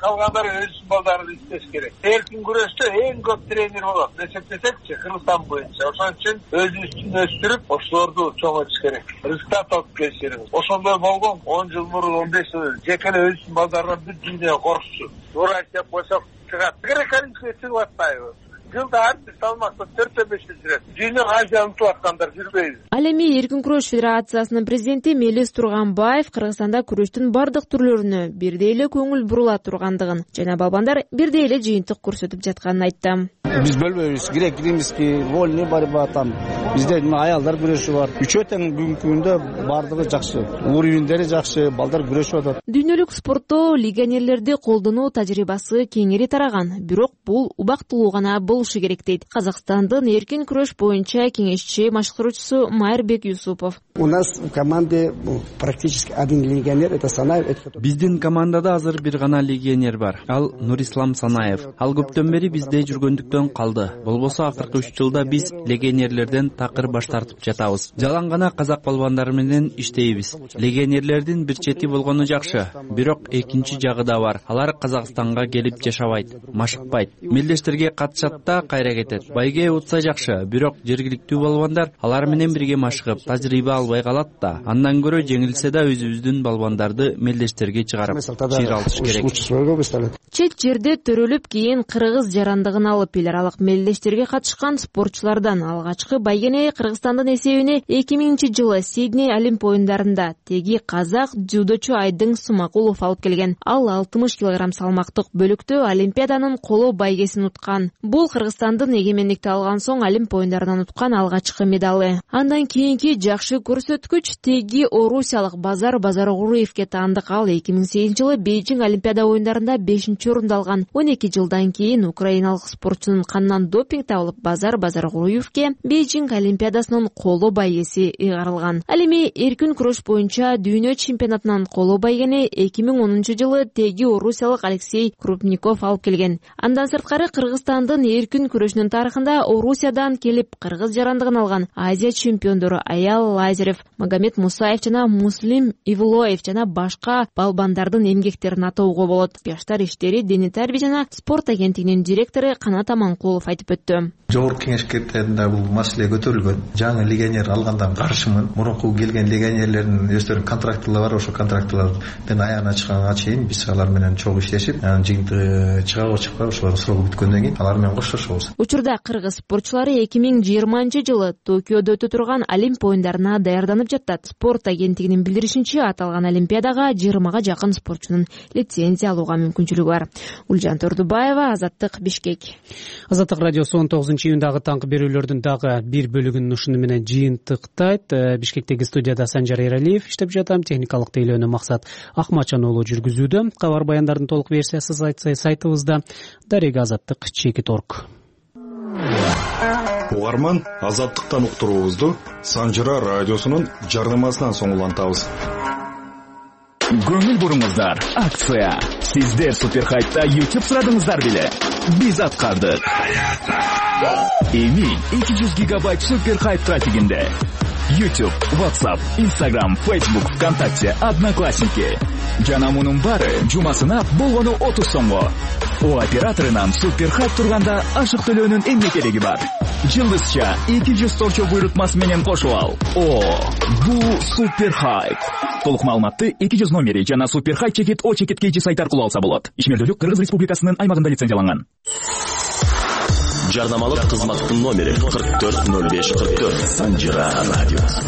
Калгандары өз балдарын иштеш керек. Эркин күрөштө эң көп тренер болот. Эсептесекчи, Кыргызстан боюнча. Ошон үчүн өзүбүздүн өстүрүп, ошолорду чоңойтуш керек. Результат алып келиш керек. Ошондой болгон он жыл мурун, он беш жыл жеке эле өзүнүн балдарынан бир дүйнө коркчу. Урай деп койсок чыгат. Грек-римский чыгып атпайбы? Жылда ар салмакта төртө беште жүрөт. Дүйнө Азия унутуп аткандар жүрбөйбү. Ал эми эркин күрөш федерациясынын президенти Мелис Турганбаев Кыргызстанда күрөштүн бардык түрлөрүнө бирдей эле көңүл бурула тургандыгын жана балбандар бирдей эле жыйынтык көрсөтүп жатканын айтты. Биз бөлбөйбүз. Грек, римский, вольный борьба там. Бизде аялдар күрөшү бар. Үчөө тең бүгүнкү күндө бардыгы жакшы. Уровендери жакшы, балдар күрөшүп атат. Дүйнөлүк спортто легионерлерди колдонуу тажрыйбасы кеңири тараган, бирок бул убактылуу гана болушу керек дейт Казакстандын эркин күрөш боюнча кеңешчи машыктыруучусу Майырбек Юсупов. У нас в команде практически один легионер, это Санаев. Биздин командада азыр бир гана легионер бар. Ал Нурислам Санаев. Ал көптөн бери бизде жүргөндүктөн калды. Болбосо акыркы үч жылда биз легионерлерден такыр баш тартып жатабыз. Жалаң гана казак балбандары менен иштейбиз. Легионерлердин бир чети болгону жакшы, бирок экинчи жагы да бар. Алар Казакстанга келип жашабайт, машыкпайт. Мелдештерге катышат да кайра кетет. Байге утса жакшы, бирок жергиликтүү балбандар алар менен бирге машыгып, тажрыйба албай калат да. Андан көрө жеңилсе да өзүбүздүн балбандарды мелдештерге чыгарып чыйралтыш керек. Чет жерде төрөлүп кийин кыргыз жарандыгын алып эл аралык мелдештерге катышкан спортчулардан алгачкы байгене Кыргызстандын эсебине эки миңинчи жылы Сидней Олимп оюндарында теги казак дзюдочу Айдың Сумакулов алып келген. Ал алтымыш килограмм салмактык бөлүктө Олимпиаданын коло байгесин уткан. Бул Кыргызстандын эгемендикти алган соң Олимп оюндарынан уткан алгачкы медалы. Андан кийинки жакшы көрсөткүч теги орусиялык Базар Базаргуруевке таандык. Ал эки миң сегизинчи жылы Бейжиң Олимпиада оюндарында бешинчи орунду алган. он эки жылдан кийин украиналык спортчунун канынан допинг табылып, Базар Базаргуруевке Бейжиң Олимпиадасынын коло байгеси ыйгарылган. Ал эми эркин күрөш боюнча дүйнө чемпионатынан коло байгени эки миң онунчу жылы теги орусиялык Алексей Крупников алып келген. Андан сырткары Кыргызстандын эркин күрөшүнүн тарыхында Орусиядан келип кыргыз жарандыгын алган Азия чемпиондору Аял Лазарев, Магомед Мусаев жана Муслим Ивлоев жана башка балбандардын эмгектерин атоого болот. Жаштар иштери, дене тарбия жана спорт агенттигинин директору Канат Аманкулов айтып өттү. Жогорку кеңештеринде бул маселе көтөрүлгөн. Жаңы легионер алгандан каршымын. Мурунку келген легионерлердин өздөрүнүн контрактылары бар. Ошол контрактылардын аягына чыкканга чейин биз алар менен чогуу иштешип, анан жыйынтыгы чыгабы чыкпайбы ошолордун срогу бүткөндөн кийин алар менен коштошобуз. Учурда кыргыз спортчулары эки миң жыйырманчы жылы Токиодо өтө турган Олимп оюндарына даярданып жатат. Спорт агенттигинин билдиришинче, аталган олимпиадага жыйырмага жакын спортчунун лицензия алууга мүмкүнчүлүгү бар. Улжан Тордубаева, Азаттык, Бишкек. Азаттык радиосу он тогузунчу июндагы таңкы берүүлөрдүн дагы бир бөлүгүн ушуну менен жыйынтыктайт. Бишкектеги студияда Санжар Эралиев иштеп жатам. Техникалык тейлөөнү Максат Акмачан уулу жүргүзүүдө. Кабар баяндардын толук версиясы сайтыбызда. Дарега Азаттык чекит орг. Угарман, Азаттыктан уктуруубузду Санжара радиосунун жардамасынан соң улантабыз. Көңүл буруңуздар, акция. Сиздер Суперхайтта YouTube сурадыңыздар беле? Биз аткардык. Эми эки жүз гигабайт Суперхайт трафигинде YouTube, WhatsApp, Instagram, Facebook, ВКонтакте, Одноклассники. Жана мунун баары жумасына болгону отуз сомго. О операторунан супер хайп турганда ашык төлөөнүн эмне кереги бар? Жылдызча эки жүз торчо буйрутмасы менен кошуп ал. О, бул супер хайп. Толук маалыматты эки жүз номери жана супер хайп чекит о чекит kg сайт аркылуу алса болот. Ишмердүүлүк Кыргыз Республикасынын аймагында лицензияланган. Жарнамалык кызматтын номери кырк төрт ноль беш кырк төрт. Санжира радиосу.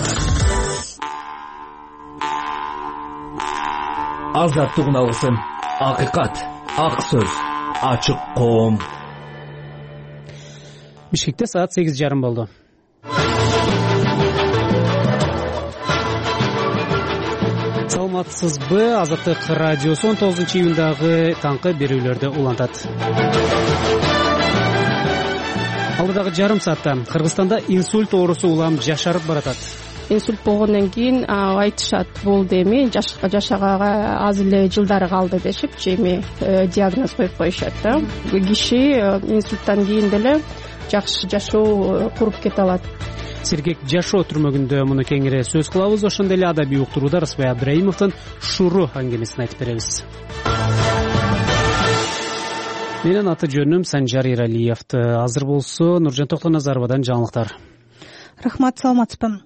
Азаттыгын алгысым. Акыйкат, ак сөз, ачык коом. Бишкекте саат сегиз жарым болду. Саламатсызбы? Азаттык радиосу он тогузунчу июндагы таңкы берүүлөрдү улантат. Алдыдагы жарым саатта Кыргызстанда инсульт оорусу улам жашарып баратат. Инсульт болгондон кийин айтышат, болду эми жашаганга аз эле жылдары калды дешипчи эми диагноз коюп коюшат да. Киши инсульттан кийин деле жакшы жашоо куруп кете алат. Сергек жашоо түрмөгүндө муну кеңири сөз кылабыз. Ошондой эле адабий уктурууда Рысбай Абдраимовдун Шуру аңгемесин айтып беребиз. Менин аты жөнүм Санжар Иралиевди. Азыр болсо Нуржан Токтоназаровадан жаңылыктар. Рахмат, саламатсызбы.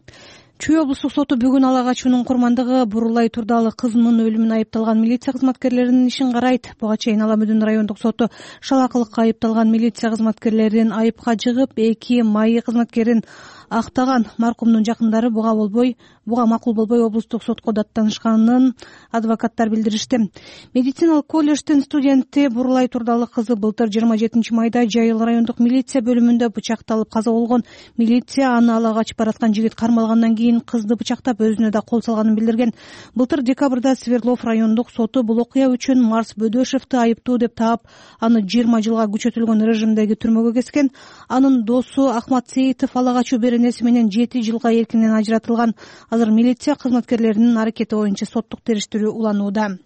Чүй облустук соту бүгүн Ала Качуунун курмандыгы Бурулай Турдалы кызынын өлүмүнө айыпталган милиция кызматкерлеринин ишин карайт. Буга чейин Ала Мөдөн райондук соту шалакылыкка айыпталган милиция кызматкерлерин айыпка жыгып, эки майы кызматкерин актаган. Маркумдун жакындары буга болбой, буга макул болбой облустук сотко даттанышканын адвокаттар билдиришти. Медициналык колледждин студенти Бурулай Турдалы кызы былтыр жыйырма жетинчи майда Жайыл райондук милиция бөлүмүндө бычакталып каза болгон. Милиция аны ала качып бараткан жигит кармалгандан кийин кызды бычактап өзүнө да кол салганын билдирген. Былтыр декабрда Свердлов райондук соту бул окуя үчүн Марс Бөдөшевди айыптуу деп таап, аны жыйырма жылга күчөтүлгөн режимдеги түрмөгө кескен. Анын досу Ахмат Сейитов ала качуу беренеси менен жети жылга эркинен ажыратылган. Азыр милиция кызматкерлеринин аракети боюнча соттук териштирүү уланууда.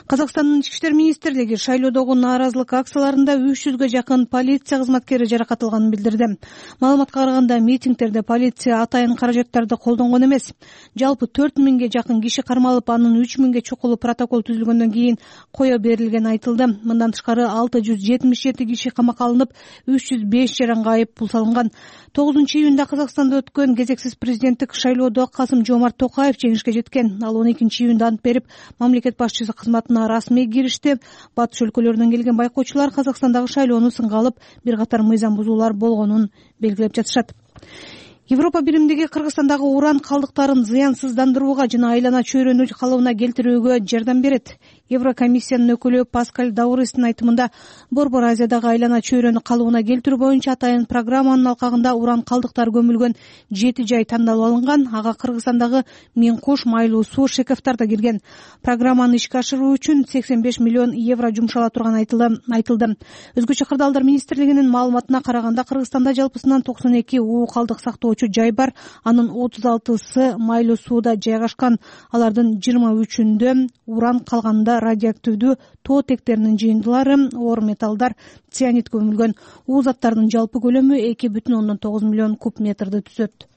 Казакстандын ички иштер министрлиги шайлоодогу нааразылык акцияларында үч жүзгө жакын полиция кызматкери жаракат алганын билдирди. Маалыматка караганда митингдерде полиция атайын каражаттарды колдонгон эмес. Жалпы төрт миңге жакын киши кармалып, анын үч миңге чукулу протокол түзүлгөндөн кийин кое берилгени айтылды. Мындан тышкары алты жүз жетимиш жети киши камакка алынып, үч жүз беш жаранга айып пул салынган. тогузунчу июнда Казакстанда өткөн кезексиз президенттик шайлоодо Касым Жомарт Токаев жеңишке жеткен. Ал он экинчи июнда ант берип, мамлекет башчысы кызматына расмий киришти. Батыш өлкөлөрүнөн келген байкоочулар Казакстандагы шайлоону сынга алып, бир катар мыйзам бузуулар болгонун белгилеп жатышат. Европа биримдиги Кыргызстандагы уран калдыктарын зыянсыздандырууга жана айлана чөйрөнү калыбына келтирүүгө жардам берет. Еврокомиссиянын өкүлү Паскаль Даурестин айтымында, Борбор Азиядагы айлана чөйрөнү калыбына келтирүү боюнча атайын программанын алкагында уран калдыктары көмүлгөн жети жай тандалып алынган. Ага Кыргызстандагы Миң Куш, Майлуу суу, Шекефтар да кирген. Программаны ишке ашыруу үчүн сексен беш миллион евро жумшала турганы айтылды. Өзгөчө кырдаалдар министрлигинин маалыматына караганда, Кыргызстанда жалпысынан токсон эки уу калдык сактоочу жай бар. Анын отуз алтысы Майлуу сууда жайгашкан. Алардын жыйырма үчүндө уран, калганда радиоактивдүү тоо тектеринин жыйындылары, оор металлдар, цианид көмүлгөн. Уу заттардын жалпы көлөмү эки бүтүн ондон тогуз миллион куб метрди түзөт.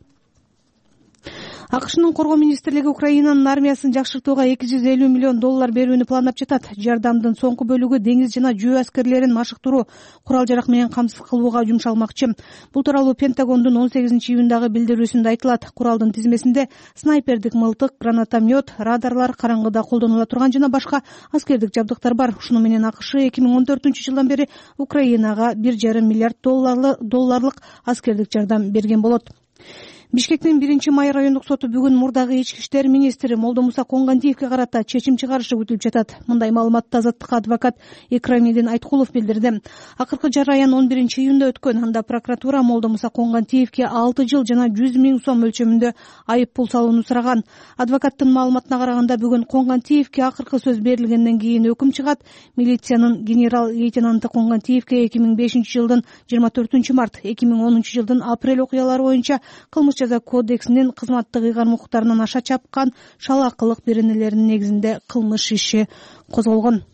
АКШнын коргоо министрлиги Украинанын армиясын жакшыртууга эки жүз элүү миллион доллар берүүнү пландап жатат. Жардамдын соңку бөлүгү деңиз жана жөө аскерлерин машыктыруу, курал-жарак менен камсыз кылууга жумшалмакчы. Бул тууралуу Пентагондун он сегизинчи июндагы билдирүүсүндө айтылат. Куралдын тизмесинде снайпердик мылтык, гранатомет, радарлар, караңгыда колдонула турган жана башка аскердик жабдыктар бар. Ушуну менен АКШ эки миң он төртүнчү жылдан бери Украинага бир жарым миллиард долларлык аскердик жардам берген болот. Бишкектин биринчи май райондук соту бүгүн мурдагы ички иштер министри Молдомуса Конгандиевге карата чечим чыгарышы күтүлүп жатат. Мындай маалыматты Азаттыкка адвокат Экрамидин Айткулов билдирди. Акыркы жараян он биринчи июнда өткөн. Анда прокуратура Молдомуса Конгандиевге алты жыл жана жүз миң сом өлчөмүндө айып пул салууну сураган. Адвокаттын маалыматына караганда, бүгүн Конгандиевге акыркы сөз берилгенден кийин өкүм чыгат. Милициянын генерал-лейтенанты Конгандиевге эки миң бешинчи жылдын жыйырма төртүнчү март, эки миң онунчу жылдын апрель окуялары боюнча кылмыш жаза кодексинин кызматтык ыйгарым укуктарынан аша чапкан шалаакылык беренелеринин негизинде кылмыш иши козголгон.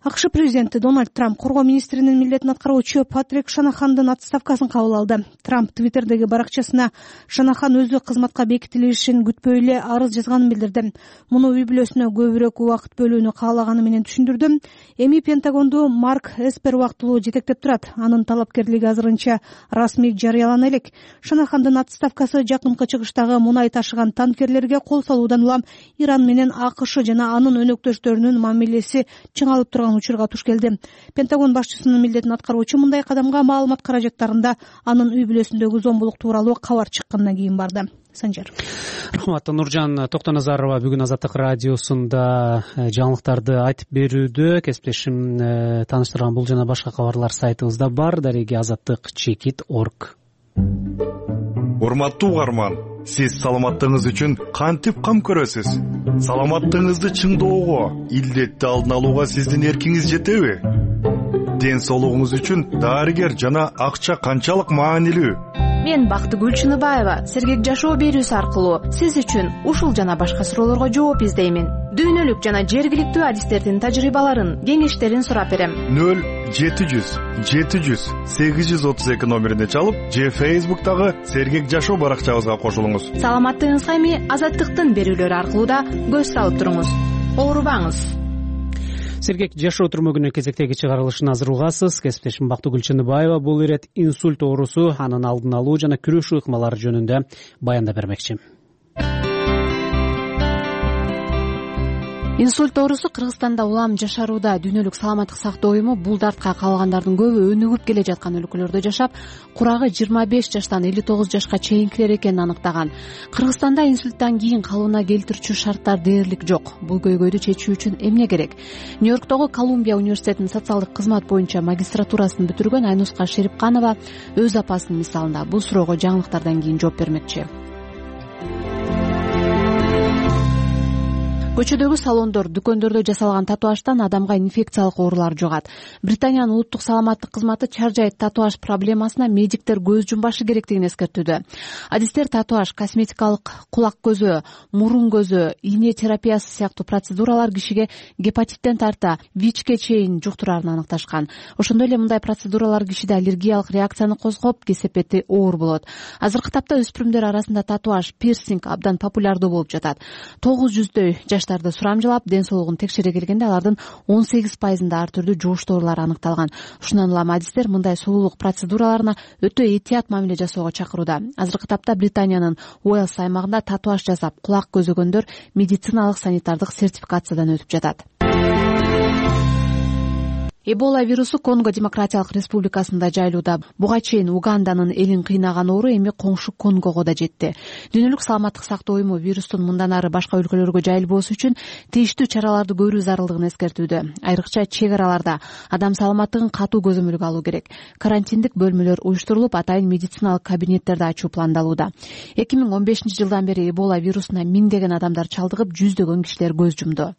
акш президенти Дональд Трамп коргоо министринин милдетин аткаруучу Патрик Шанахандын отставкасын кабыл алды. Трамп Твиттердеги баракчасына Шанахан өзү кызматка бекитилишин күтпөй эле арыз жазганын билдирди. Муну үй бүлөсүнө көбүрөөк убакыт бөлүүнү каалаганы менен түшүндүрдү. Эми Пентагонду Марк Эспер убактылуу жетектеп турат. Анын талапкерлиги азырынча расмий жарыялана элек. Шанахандын отставкасы жакынкы чыгыштагы мунай ташыган танкерлерге кол салуудан улам Иран менен АКШ жана анын өнөктөштөрүнүн мамилеси чыңалып турган учурга туш келди. Пентагон башчысынын милдетин аткаруучу мындай кадамга маалымат каражаттарында анын үй бүлөсүндөгү зомбулук тууралуу кабар чыккандан кийин барды. Санжар. Рахмат. Нуржан Токтоназарова бүгүн Азаттык радиосунда жаңылыктарды айтып берүүдө. Кесиптешим тааныштырган бул жана башка кабарлар сайтыбызда бар. Дареги азаттык чекит точка орг. Урматтуу угарман, сиз саламаттыгыңыз үчүн кантип кам көрөсүз? Саламаттыгыңызды чыңдоого, илдетти алдын алууга сиздин эркиңиз жетеби? Ден соолугуңуз үчүн дарыгер жана акча канчалык маанилүү? Мен Бактыгүл Чыныбаева Сергек жашоо берүүсү аркылуу сиз үчүн ушул жана башка суроолорго жооп издеймин. Дүйнөлүк жана жергиликтүү адистердин тажрыйбаларын, кеңештерин сурап берем. нөл жети жүз жети жүз сегиз жүз отуз эки номерине чалып, же Фейсбуктагы Сергек жашоо баракчабызга кошулуңуз. Саламаттыгыңызга эми Азаттыктын берүүлөрү аркылуу да көз салып туруңуз. Оорубаңыз. Сергек жашоо түрмөгүнүн кезектеги чыгарылышына азыр угасыз. Кесиптешим Бактыгүл Чыныбаева бул ирет инсульт оорусу, анын алдын алуу жана күрөшүү ыкмалары жөнүндө баяндап бермекчи. Инсульт оорусу Кыргызстанда улам жашарууда. Дүйнөлүк саламаттык сактоо уюму бул дартка калгандардын көбү өнүгүп келе жаткан өлкөлөрдө жашап, курагы жыйырма беш жаштан элүү тогуз жашка чейинкилер экенин аныктаган. Кыргызстанда инсульттан кийин калыбына келтирүүчү шарттар дээрлик жок. Бул көйгөйдү чечүү үчүн эмне керек? Нью-Йорктогу Колумбия университетинин социалдык кызмат боюнча магистратурасын бүтүргөн Айнуска Шерипканова өз апасынын мисалында бул суроого жаңылыктардан кийин жооп бермекчи. Көчөдөгү салондор, дүкөндөрдө жасалган татуаждан адамга инфекциялык оорулар жугат. Британиянын улуттук саламаттык кызматы чаржай татуаж проблемасына медиктер көз жумбашы керектигин эскертүүдө. Адистер татуаж, косметикалык кулак көзөө, мурун көзөө, ийне терапиясы сыяктуу процедуралар кишиге гепатиттен тарта ВИЧке чейин жуктурарын аныкташкан. Ошондой эле мындай процедуралар кишиде аллергиялык реакцияны козгоп, кесепети оор болот. Азыркы тапта өспүрүмдөр арасында татуаж, пирсинг абдан популярдуу болуп жатат. тогуз жүздөй жаштарды сурамжылап, ден соолугун текшере келгенде алардын он сегиз пайызында ар түрдүү жугуш оорулар аныкталган. Ушундан улам адистер мындай сулуулук процедураларына өтө этият мамиле жасоого чакырууда. Азыркы тапта Британиянын Уэльс аймагында татуаж жасап, кулак көзөгөндөр медициналык санитардык сертификациядан өтүп жатат. Эбола вирусу Конго Демократиялык Республикасында жайылууда. Буга чейин Уганданын элин кыйнаган оору эми коңшу Конгого да жетти. Дүйнөлүк саламаттык сактоо уюму вирустун мындан ары башка өлкөлөргө жайылбоосу үчүн тийиштүү чараларды көрүү зарылдыгын эскертүүдө. Айрыкча чек араларда адам саламаттыгын катуу көзөмөлгө алуу керек. Карантиндик бөлмөлөр уюштурулуп, атайын медициналык кабинеттерди ачуу пландалууда. эки миң он бешинчи жылдан бери Эбола вирусуна миңдеген адамдар чалдыгып, жүздөгөн кишилер көз жумду.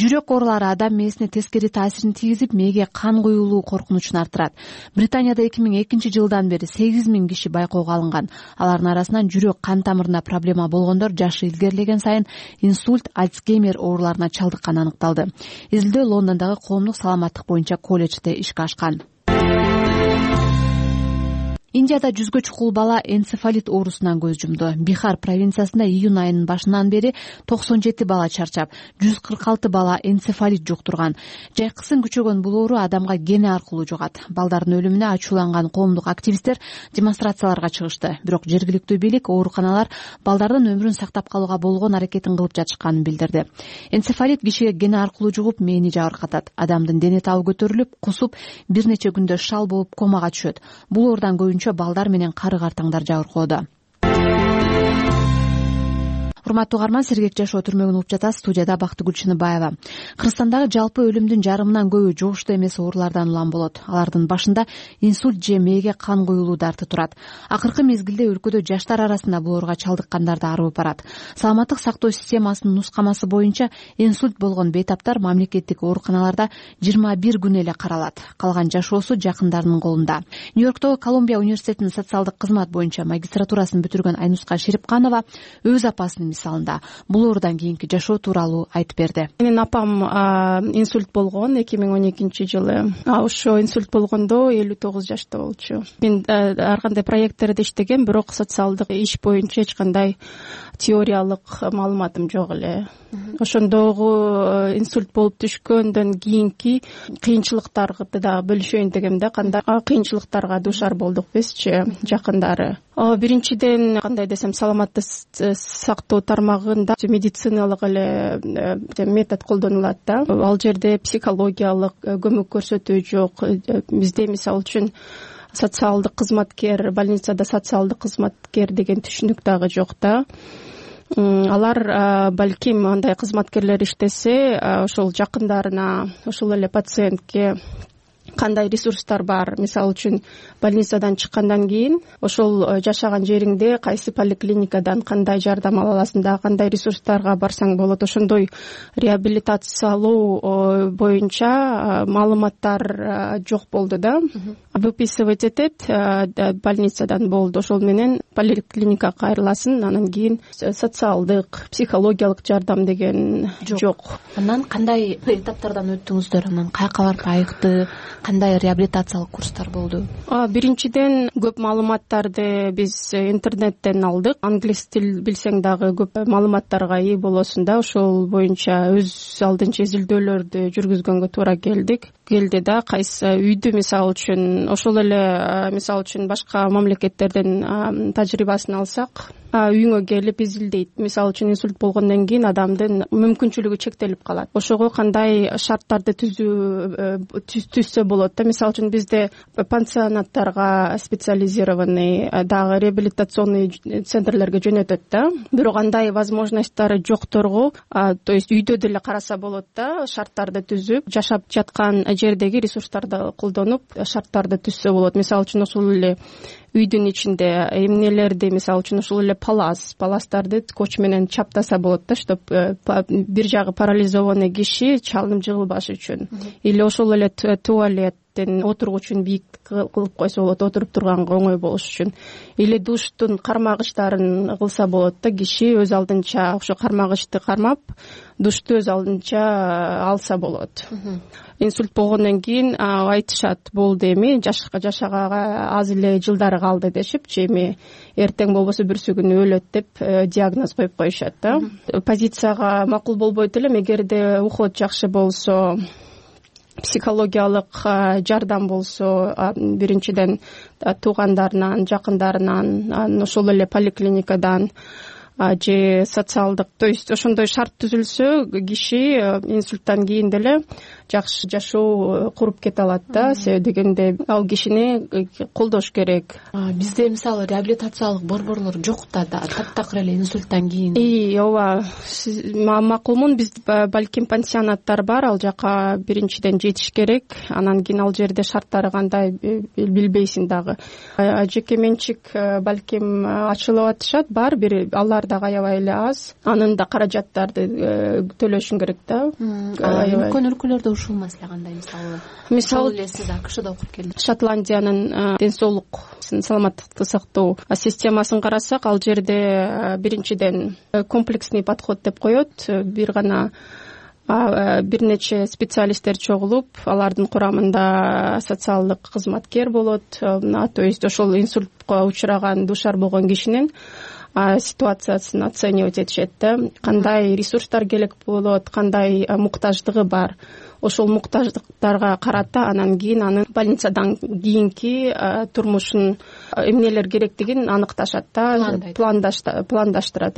Жүрөк оорулары адам мээсине тескери таасирин тийгизип, мээге кан куюулуу коркунучун арттырат. Британияда эки миң экинчи жылдан бери сегиз миң киши байкоого алынган. Алардын арасынан жүрөк кан тамырына проблема болгондор жашы илгерилеген сайын инсульт, Альцгеймер ооруларына чалдыкканы аныкталды. Изилдөө Лондондогу коомдук саламаттык боюнча колледжде ишке ашкан. Индияда жүзгө чукул бала энцефалит оорусунан көз жумду. Бихар провинциясында июнь айынын башынан бери токсон жети бала чарчап, жүз кырк алты бала энцефалит жуктурган. Жайкысын күчөгөн бул оору адамга кене аркылуу жугат. Балдардын өлүмүнө ачууланган коомдук активисттер демонстрацияларга чыгышты. Бирок жергиликтүү бийлик ооруканалар балдардын өмүрүн сактап калууга болгон аракетин кылып жатышканын билдирди. Энцефалит кишиге кене аркылуу жугуп, мээни жабыркатат. Адамдын дене табы көтөрүлүп, кусуп, бир нече күндө шал болуп комага түшөт. Бул оордан көбүнчө балдар менен кары картаңдар жабыркоодо. Урматтуу угарман, Сергек жашоо түрмөгүн угуп жатасыз. Студияда Бактыгүл Чыныбаева. Кыргызстандагы жалпы өлүмдүн жарымынан көбү жугуштуу эмес оорулардан улам болот. Алардын башында инсульт же мээге кан куюулуу дарты турат. Акыркы мезгилде өлкөдө жаштар арасында бул ооруга чалдыккандар да арыбып барат. Саламаттык сактоо системасынын нускамасы боюнча инсульт болгон бейтаптар мамлекеттик ооруканаларда жыйырма бир күн эле каралат. Калган жашоосу жакындарынын колунда. Нью-Йорктогу Колумбия университетинин социалдык кызмат боюнча магистратурасын бүтүргөн Айнуска Шерипканова өз апасынын мисалында бул оорудан кийинки жашоо тууралуу айтып берди. Менин апам инсульт болгон эки миң он экинчи жылы. Ошо инсульт болгондо элүү тогуз жашта болчу. Мен ар кандай проекттерде иштегем, бирок социалдык иш боюнча эч кандай теориялык маалыматым жок эле. Ошондогу инсульт болуп түшкөндөн кийинки кыйынчылыктарды да бөлүшөйүн дегем да, кандай кыйынчылыктарга дуушар болдук бизчи жакындары. Биринчиден, кандай десем, саламатты сактоо тармагында медициналык эле метод колдонулат да. Ал жерде психологиялык көмөк көрсөтүү жок. Бизде мисалы үчүн социалдык кызматкер, больницада социалдык кызматкер деген түшүнүк дагы жок да. Алар балким андай кызматкерлер иштесе, ошол жакындарына, ошол эле пациентке кандай ресурстар бар, мисалы үчүн больницадан чыккандан кийин ошол жашаган жериңде кайсы поликлиникадан кандай жардам ала аласың, дагы кандай ресурстарга барсаң болот, ошондой реабилитациялоо боюнча маалыматтар жок болду да. Выписывать этет больницадан болду, ошол менен поликлиникага кайрыласың, анан кийин социалдык, психологиялык жардам деген жок. Анан кандай этаптардан өттүңүздөр, анан каяка барып айыкты, кандай реабилитациялык курстар болду? Биринчиден, көп маалыматтарды биз интернеттен алдык. Англис тил билсең дагы көп маалыматтарга ээ болосуң да, ошол боюнча өз алдынча изилдөөлөрдү жүргүзгөнгө туура келдик. Келди да, кайсы үйдү мисалы үчүн, ошол эле мисалы үчүн башка мамлекеттерден тажрыйбасын алсак, үйүңө келип изилдейт. Мисалы үчүн инсульт болгондон кийин адамдын мүмкүнчүлүгү чектелип калат. Ошого кандай шарттарды түзүү түзсө болот да. Мисалы үчүн бизде пансионаттарга специализированный, дагы реабилитационный центрлерге жөнөтөт да. Бирок андай возможностьтары жокторго, то есть үйдө деле караса болот да, шарттарды түзүп, жашап жаткан жердеги ресурстарды колдонуп шарттарды түзсө болот. Мисалы үчүн ошол эле үйдүн ичинде эмнелерди, мисалы үчүн ошол эле палас, паластарды скотч менен чаптаса болот да, чтоб бир жагы парализованный киши чалынып жыгылбаш үчүн. Или ошол эле туалет отургучун бийик кылып койсо болот, отуруп турганга оңой болуш үчүн. Или душтун кармагычтарын кылса болот да, киши өз алдынча ошо кармагычты кармап, душту өз алдынча алса болот. Инсульт болгондон кийин айтышат, болду эми жашаганга аз эле жылдары калды дешипчи, эми эртең болбосо бүрсү күнү өлөт деп диагноз коюп коюшат да. Позицияга макул болбойт элем, эгерде уход жакшы болсо, психологиялык жардам болсо, биринчиден туугандарынан, жакындарынан, ошол эле поликлиникадан же социалдык, то есть ошондой шарт түзүлсө, киши инсульттан кийин деле жакшы жашоо куруп кете алат да. Себеби дегенде ал кишини колдош керек. Бизде мисалы реабилитациялык борборлор жок да, таптакыр эле инсульттан кийин. И ооба, макулмун, биз балким пансионаттар бар, ал жака биринчиден жетиш керек, анан кийин ал жерде шарттары кандай билбейсиң дагы. Жеке менчик балким ачылып атышат, бар бир, алар дагы аябай эле аз. Анын да каражаттарды төлөшүң керек да. Үлкөн өлкөлөрдө ушул маселе кандай, мисалы? Мисалы эле сиз АКШда окуп келдиңиз. Шотландиянын ден соолук, саламаттыкты сактоо системасын карасак, ал жерде биринчиден комплексный подход деп коет. Бир гана бир нече специалисттер чогулуп, алардын курамында социалдык кызматкер болот, то есть ошол инсультка учураган, дуушар болгон кишинин ситуациясын оценивать этишет да. Кандай ресурстар керек болот, кандай муктаждыгы бар. Ошол муктаждыктарга карата анан кийин анын больницадан кийинки турмушун эмнелер керектигин аныкташат да, пландаштырат.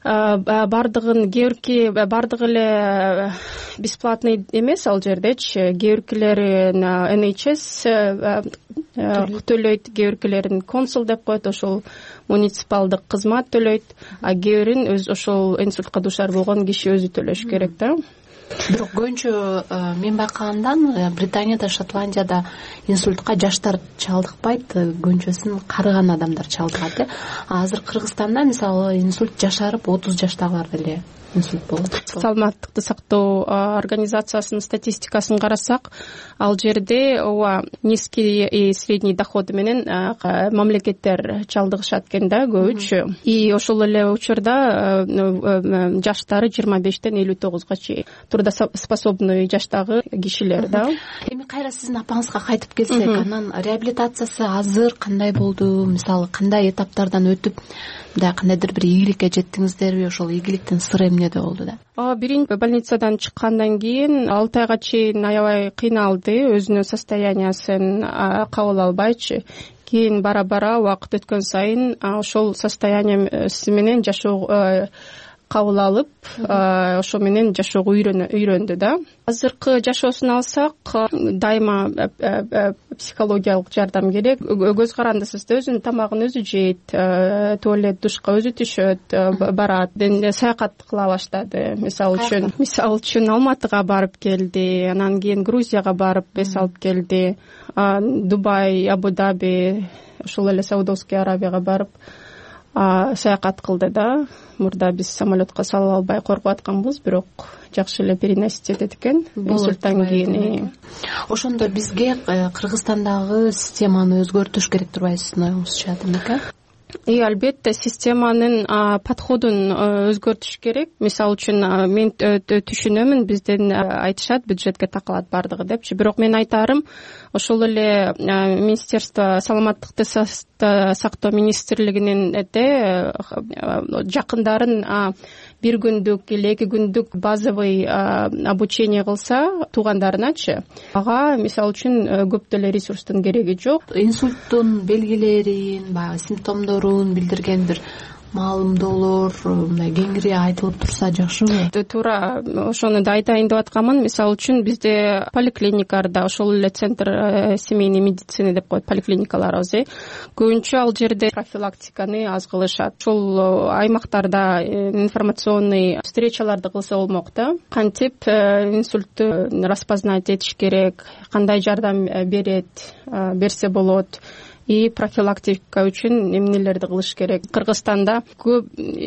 Бардыгын кээ бардыгы эле бесплатный эмес ал жердечи, кээ биркилерин эн эйч эс төлөйт, кээ биркилерин консул деп коет, ошол муниципалдык кызмат төлөйт, а кээ бирин өз ошол инсультка дуушар болгон киши өзү төлөш керек да. Бирок көбүнчө мен байкагандан Британияда, Шотландияда инсультка жаштар чалдыкпайт, көбүнчөсүн карыган адамдар чалдыгат. Азыр Кыргызстанда мисалы инсульт жашарып отуз жаштагылар деле инсульт болот. Саламаттыкты сактоо организациясынын статистикасын карасак, ал жерде ооба низкий и средний доходу менен мамлекеттер чалдыгышат экен да көбүнчө. И ошол эле учурда жаштары жыйырма бештен элүү тогузга чейин трудоспособный жаштагы кишилер да. Эми кайра сиздин апаңызга кайтып келсек, анан реабилитациясы азыр кандай болду? Мисалы кандай этаптардан өтүп, мындай кандайдыр бир ийгиликке жеттиңиздерби? Ошол ийгиликтин сыры эмнеде болду да? Биринчи больницадан чыккандан кийин алты айга чейин аябай кыйналды, өзүнүн состояниясын кабыл албайчы. Кийин бара-бара убакыт өткөн сайын ошол состояниясы менен жашоо кабыл алып, ошо менен жашоого үйрөндү да. Азыркы жашоосун алсак, дайыма психологиялык жардам керек. Көз карандысыз да, өзүнүн тамагын өзү жейт, туалет, душка өзү түшөт, барат, саякат кыла баштады. Мисалы үчүн, мисалы үчүн Алматыга барып келди, анан кийин Грузияга барып бес алып келди. Дубай, Абу-Даби, ошол эле Саудовский Аравияга барып саякат кылды да. Мурда биз самолетко салып албай коркуп атканбыз, бирок жакшы эле переносить этет экен инсульттан кийин. Ошондо бизге Кыргызстандагы системаны өзгөртүш керек турбайбы сиздин оюңузча, демек? И албетте системанын подходун өзгөртүш керек. Мисалы үчүн мен түшүнөмүн, бизден айтышат бюджетке такалат бардыгы депчи. Бирок мен айтарым, ошол эле Министерство саламаттыкты сактоо министрлигинин жакындарын бир күндүк или эки күндүк базовый обучение кылса туугандарыначы, ага мисалы үчүн көп деле ресурстун кереги жок. Инсульттун белгилерин, баягы симптомдорун билдирген бир маалымдоолор мындай кеңири айтылып турса жакшыбы? Туура ошону да айтайын деп атканмын. Мисалы үчүн бизде поликлиникаларда, ошол эле центр семейной медицины деп коет поликлиникаларыбыз, э көбүнчө ал жерде профилактиканы аз кылышат. Ошол аймактарда информационный встречаларды кылса болмок да. Кантип инсультту распознать этиш керек, кандай жардам берет, берсе болот. И профилактика үчүн эмнелерди кылыш керек. Кыргызстанда көп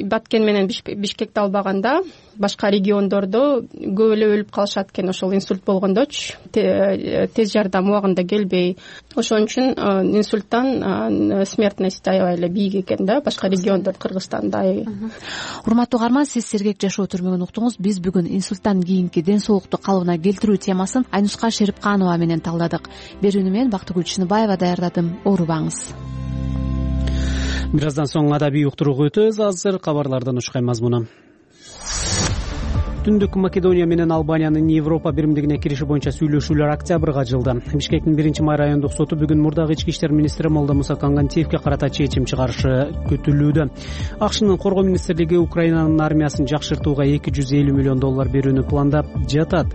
Баткен менен Бишкекти албаганда, башка региондордо көп эле өлүп калышат экен ошол инсульт болгондочу, тез жардам убагында келбей. Ошон үчүн инсульттан смертность аябай эле бийик экен да, башка региондор Кыргызстандай. Урматтуу угарман, сиз сергек жашоо түрмөгүн уктуңуз. Биз бүгүн инсульттан кийинки ден соолукту калыбына келтирүү темасын Айнуска Шерипканова менен талдадык. Берүүнү мен Бактыгүл Чыныбаева даярдадым. Оорубаңыз. Бир аздан соң адабий уктурууга өтөбүз. Азыр кабарлардын ушкай мазмуну. Түндүк Македония менен Албаниянын Европа биримдигине кириши боюнча сүйлөшүүлөр октябрга жылды. Бишкектин биринчи май райондук соту бүгүн мурдагы ички иштер министри Молдомуса Кангантиевке карата чечим чыгарышы күтүлүүдө. АКШнын коргоо министрлиги Украинанын армиясын жакшыртууга эки жүз элүү миллион доллар берүүнү пландап жатат.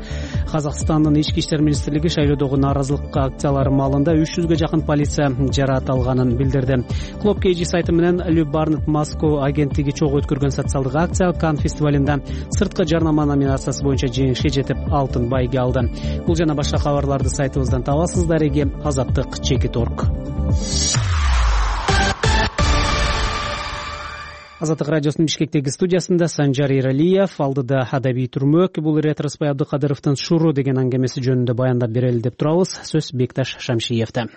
Казакстандын ички иштер министрлиги шайлоодогу нааразылык акциялары маалында үч жүзгө жакын полиция жараат алганын билдирди. Клуб Кей Джи сайты менен Лю Барнет Москва агенттиги чогуу өткөргөн социалдык акция Кан фестивалында сырткы жарнама номинациясы боюнча жеңишке жетип алтын байге алды. Бул жана башка кабарларды сайтыбыздан табасыздар. Эги Азаттык чекит точка орг. Азаттык радиосунун Бишкектеги студиясында Санжар Иралиев, алдыда адабий түрмөк. Бул Ретроспай Абдыкадыровдун Шуру деген аңгемеси жөнүндө баяндап берели деп турабыз. Сөз Бекташ Шамшиевде.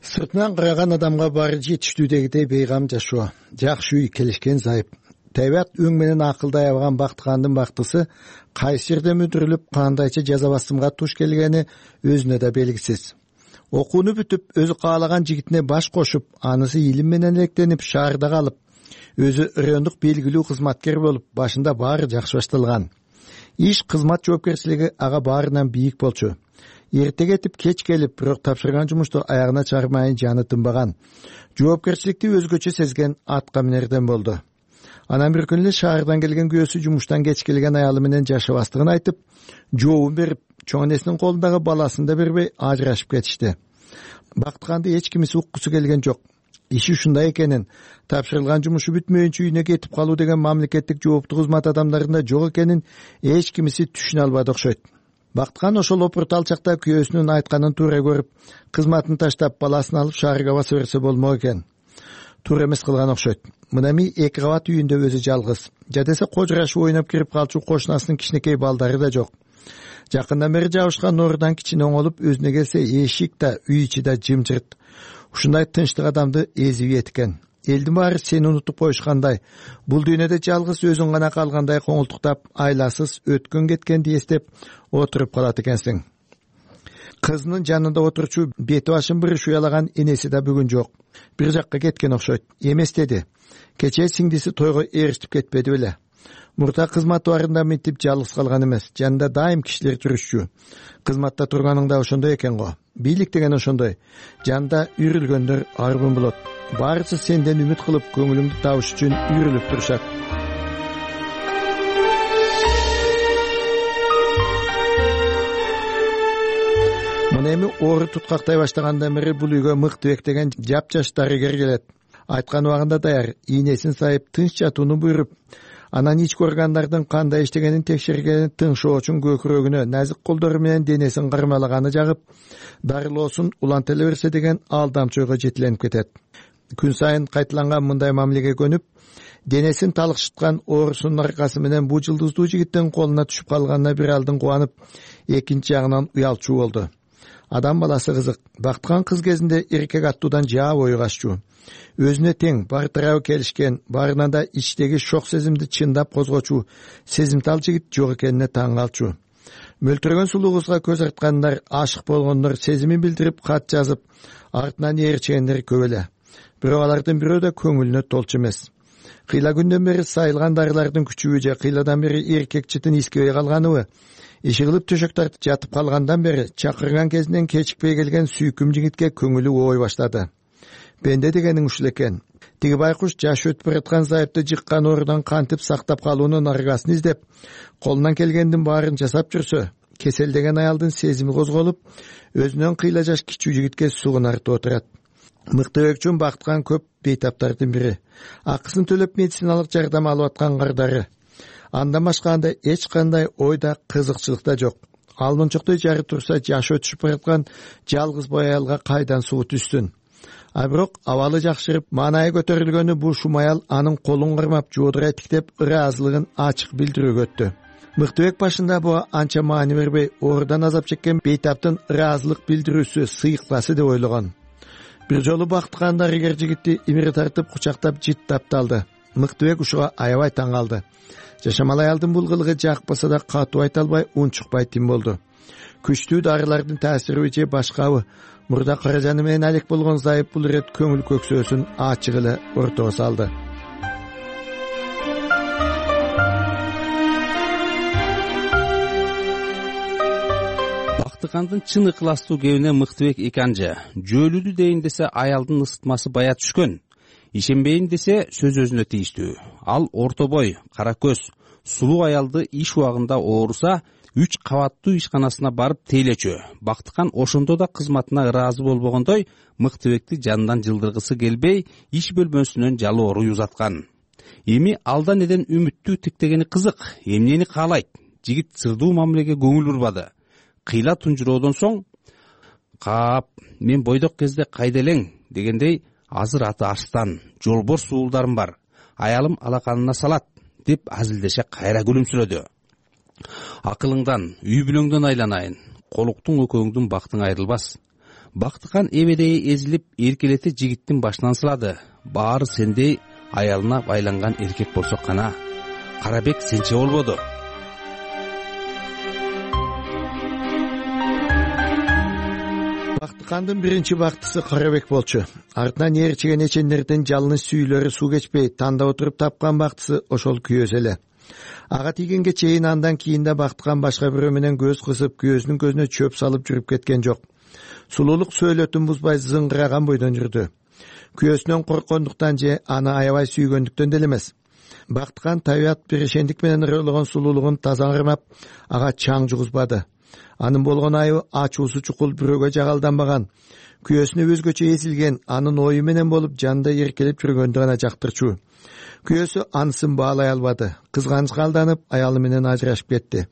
Сыртынан караган адамга баары жетиштүүдөгүдөй бейгам жашоо, жакшы үй, келишкен зайып. Тайбат өң менен акылдай алган Бактыгандын бактысы кайсы жерде мүдүрүлүп, кандайча жаза басымга туш келгени өзүнө да белгисиз. Окууну бүтүп, өзү каалаган жигитине баш кошуп, анысы илим менен электенип, шаарда калып, өзү райондук белгилүү кызматкер болуп, башында баары жакшы башталган. Иш, кызмат жоопкерчилиги ага баарынан бийик болчу. Эрте кетип, кеч келип, бирок тапшырган жумушту аягына чыгармайын жаны тынбаган. Жоопкерчиликти өзгөчө сезген атка минерден болду. Анан бир күнү шаардан келген күйөөсү жумуштан кеч келген аялы менен жашабастыгын айтып, жообун берип, чоң энесинин колундагы баласын да бербей ажырашып кетишти. Бактыганды эч кимиси уккусу келген жок. Иши ушундай экенин, тапшырылган жумушу бүтмөйүнчө үйүнө кетип калуу деген мамлекеттик жооптуу кызмат адамдарында жок экенин эч кимиси түшүнө албады окшойт. Бактыган ошол опуртал чакта күйөөсүнүн айтканын туура көрүп, кызматын таштап баласын алып шаарга баса берсе болмок экен. туура эмес кылган окшойт. Мына эми эки кабат үйүндө өзү жалгыз. Жадесе кожурашып ойноп кирип калчу кошунасынын кичинекей балдары да жок. Жакындан бери жабышкан нурудан кичине оңолуп өзүнө келсе, эшик да, үй ичи да жымжырт. Ушундай тынчтык адамды эзип экен. Элдин баары сени унутуп коюшкандай, бул дүйнөдө жалгыз өзүң гана калгандай коңултуктап, айласыз өткөн кеткенди эстеп отуруп калат экенсиң. Кызынын жанында отурчу бети башын бириш уялаган энеси да бүгүн жок. Бир жакка кеткен окшойт. Эмес деди. Кечээ сиңдиси тойго ээрчитип кетпеди беле. Мурда кызматы барында мынтип жалгыз калган эмес. Жанында дайым кишилер жүрүшчү. Кызматта турганың да ошондой экен го. Бийлик деген ошондой. Жанда үйрүлгөндөр аргын болот. Баарысы сенден үмүт кылып, көңүлүңдү табыш үчүн үйрүлүп турушат. Мына эми оору туткактай баштагандан бери бул үйгө Мыктыбек деген жапжаш дарыгер келет. Айткан убагында даяр, ийнесин сайып, тынч жатууну буйруп, анан ички органдардын кандай иштегенин текшергени тыңшоочун көкүрөгүнө назик колдору менен денесин кармалаганы жагып, дарылоосун улантыла берсе деген алдамчы ойго жетиленип кетет. Күн сайын кайталанган мындай мамилеге көнүп, денесин талыкшыткан оорусунун аркасы менен бу жылдыздуу жигиттин колуна түшүп калганына бир алдын кубанып, экинчи жагынан уялчу болду. Адам баласы кызык. Бактыган кыз кезинде эркек аттуудан жаа бою каччу. Өзүнө тең, бар тарабы келишкен, барынан да ичтеги шок сезимди чындап козгочу, сезимтал жигит жок экенине таң калчу. Мөлтүрөгөн сулуу кызга көз арткандар, ашык болгондор, сезимин билдирип кат жазып, артынан ээрчегендер көп эле. Бирок алардын бирөө да көңүлүнө толчу эмес. Кыйла күндөн бери сайылган дарылардын күчүбү же кыйладан бери эркек чытын искебей калганыбы, иши кылып төшөк тартып жатып калгандан бери чакырган кезинен кечикпей келген сүйкүм жигитке көңүлү оой баштады. Бенде дегениң ушул экен. Тиги байкуш жаш өтүп бараткан зайыпты жыккан оорудан кантип сактап калуунун аргасын издеп, колунан келгендин баарын жасап жүрсө, кеселдеген аялдын сезими козголуп, өзүнөн кыйла жаш кичүү жигитке сугунартып отурат. Мыктыбек үчүн бактыган көп бейтаптардын бири. Акысын төлөп медициналык жардам алып аткан кардары. Андан башка анда эч кандай ойда кызыкчылык да жок. Ал мончоктой жары турса, жаш өтүшүп бараткан жалгыз бой аялга кайдан суу түшсүн? А бирок абалы жакшырып, маанайы көтөрүлгөнү бул шум аял анын колун кармап, жоодурай тиктеп, ыраазылыгын ачык билдирүүгө өттү. Мыктыбек башында буга анча маани бербей, оорудан азап чеккен бейтаптын ыраазылык билдирүүсү сыйыктасы деп ойлогон. Бир жолу бактыган дарыгер жигитти имири тартып, кучактап жыттап талды. Мыктыбек ушуга аябай таң калды. Жашамал аялдын бул кылыгы жакпаса да катуу айта албай, унчукпай тим болду. Күчтүү дарылардын таасириби же башкабы, мурда каражаны менен алек болгон зайып бул ирет көңүл көксөөсүн ачык эле ортого салды. Бактыгандын чын ыкластуу кебине Мыктыбек эки анжа. Жөөлүдү дейин десе аялдын ысытмасы бая түшкөн. Ишенбейин десе сөз өзүнө тийиштүү. Ал орто бой, кара көз, сулуу аялды иш убагында ооруса, үч кабаттуу ишканасына барып тейлечү. Бактыган ошондо да кызматына ыраазы болбогондой, Мыктыбекти жанынан жылдыргысы келбей, иш бөлмөсүнөн жалооруй узаткан. Эми алдан элен үмүттүү тиктегени кызык, эмнени каалайт? Жигит сырдуу мамилеге көңүл бурбады. Кыйла тунжуроодон соң, "Кап, мен бойдок кезде кайда элең?" дегендей, "Азыр аты Арстан, жолборс уулдарым бар. Аялым алаканына салат" деп азилдеше кайра күлүмсүрөдү. "Акылыңдан, үй бүлөңдөн айланайын. Колуктуң экөөңдүн бактың айрылбас." Бактыган эбедей эзилип, эркелете жигиттин башынан сылады. Баары сендей аялына байланган эркек болсо кана. Карабек сенче болбоду. Бактыгандын биринчи бактысы Карабек болчу. Артынан ээрчиген эчендердин жалыны сүйүлөрү суу кечпей, тандап отуруп тапкан бактысы ошол күйөөсү эле. Ага тийгенге чейин андан кийин да Бактыган башка бирөө менен көз кысып, күйөөсүнүн көзүнө чөп салып жүрүп кеткен жок. Сулуулук сөөлөтүн бузбай зыңгыраган бойдон жүрдү. Күйөөсүнөн корккондуктан же аны аябай сүйгөндүктөн деле эмес. Бактыган табият берешендик менен ырылаган сулуулугун таза кармап, ага чаң жугузбады. Анын болгон айыбы ачуусу чукул бирөөгө жагалданбаган, күйөөсүнө өзгөчө эсилген, анын ою менен болуп жанда эркелеп жүргөндү гана жактырчу. Күйөөсү анысын баалай албады. Кызганычка алданып, аялы менен ажырашып кетти.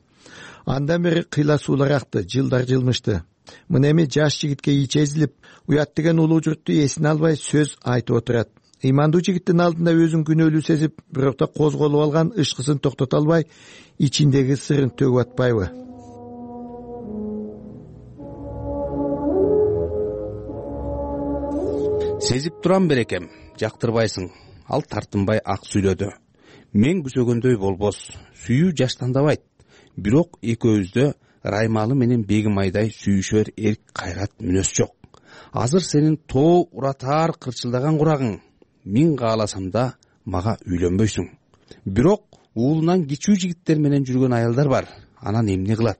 Андан бери кыйла суулар акты, жылдар жылмышты. Мына эми жаш жигитке ичи эзилип, уят деген улуу журтту эсине албай сөз айтып отурат. ыймандуу жигиттин алдында өзүн күнөөлүү сезип, бирок да козголуп алган ышкысын токтото албай, ичиндеги сырын төгүп атпайбы? Сезип турам берекем, жактырбайсың. Ал тартынбай ак сүйлөдү. Мен күсөгөндөй болбос, сүйүү жаштандабайт. Бирок экөөбүздө Раймалы менен Бегимайдай сүйүшөр эрк кайрат мүнөз жок. Азыр сенин тоо уратаар кырчылдаган курагың. Мен кааласам да мага үйлөнбөйсүң. Бирок уулунан кичүү жигиттер менен жүргөн аялдар бар. Анан эмне кылат?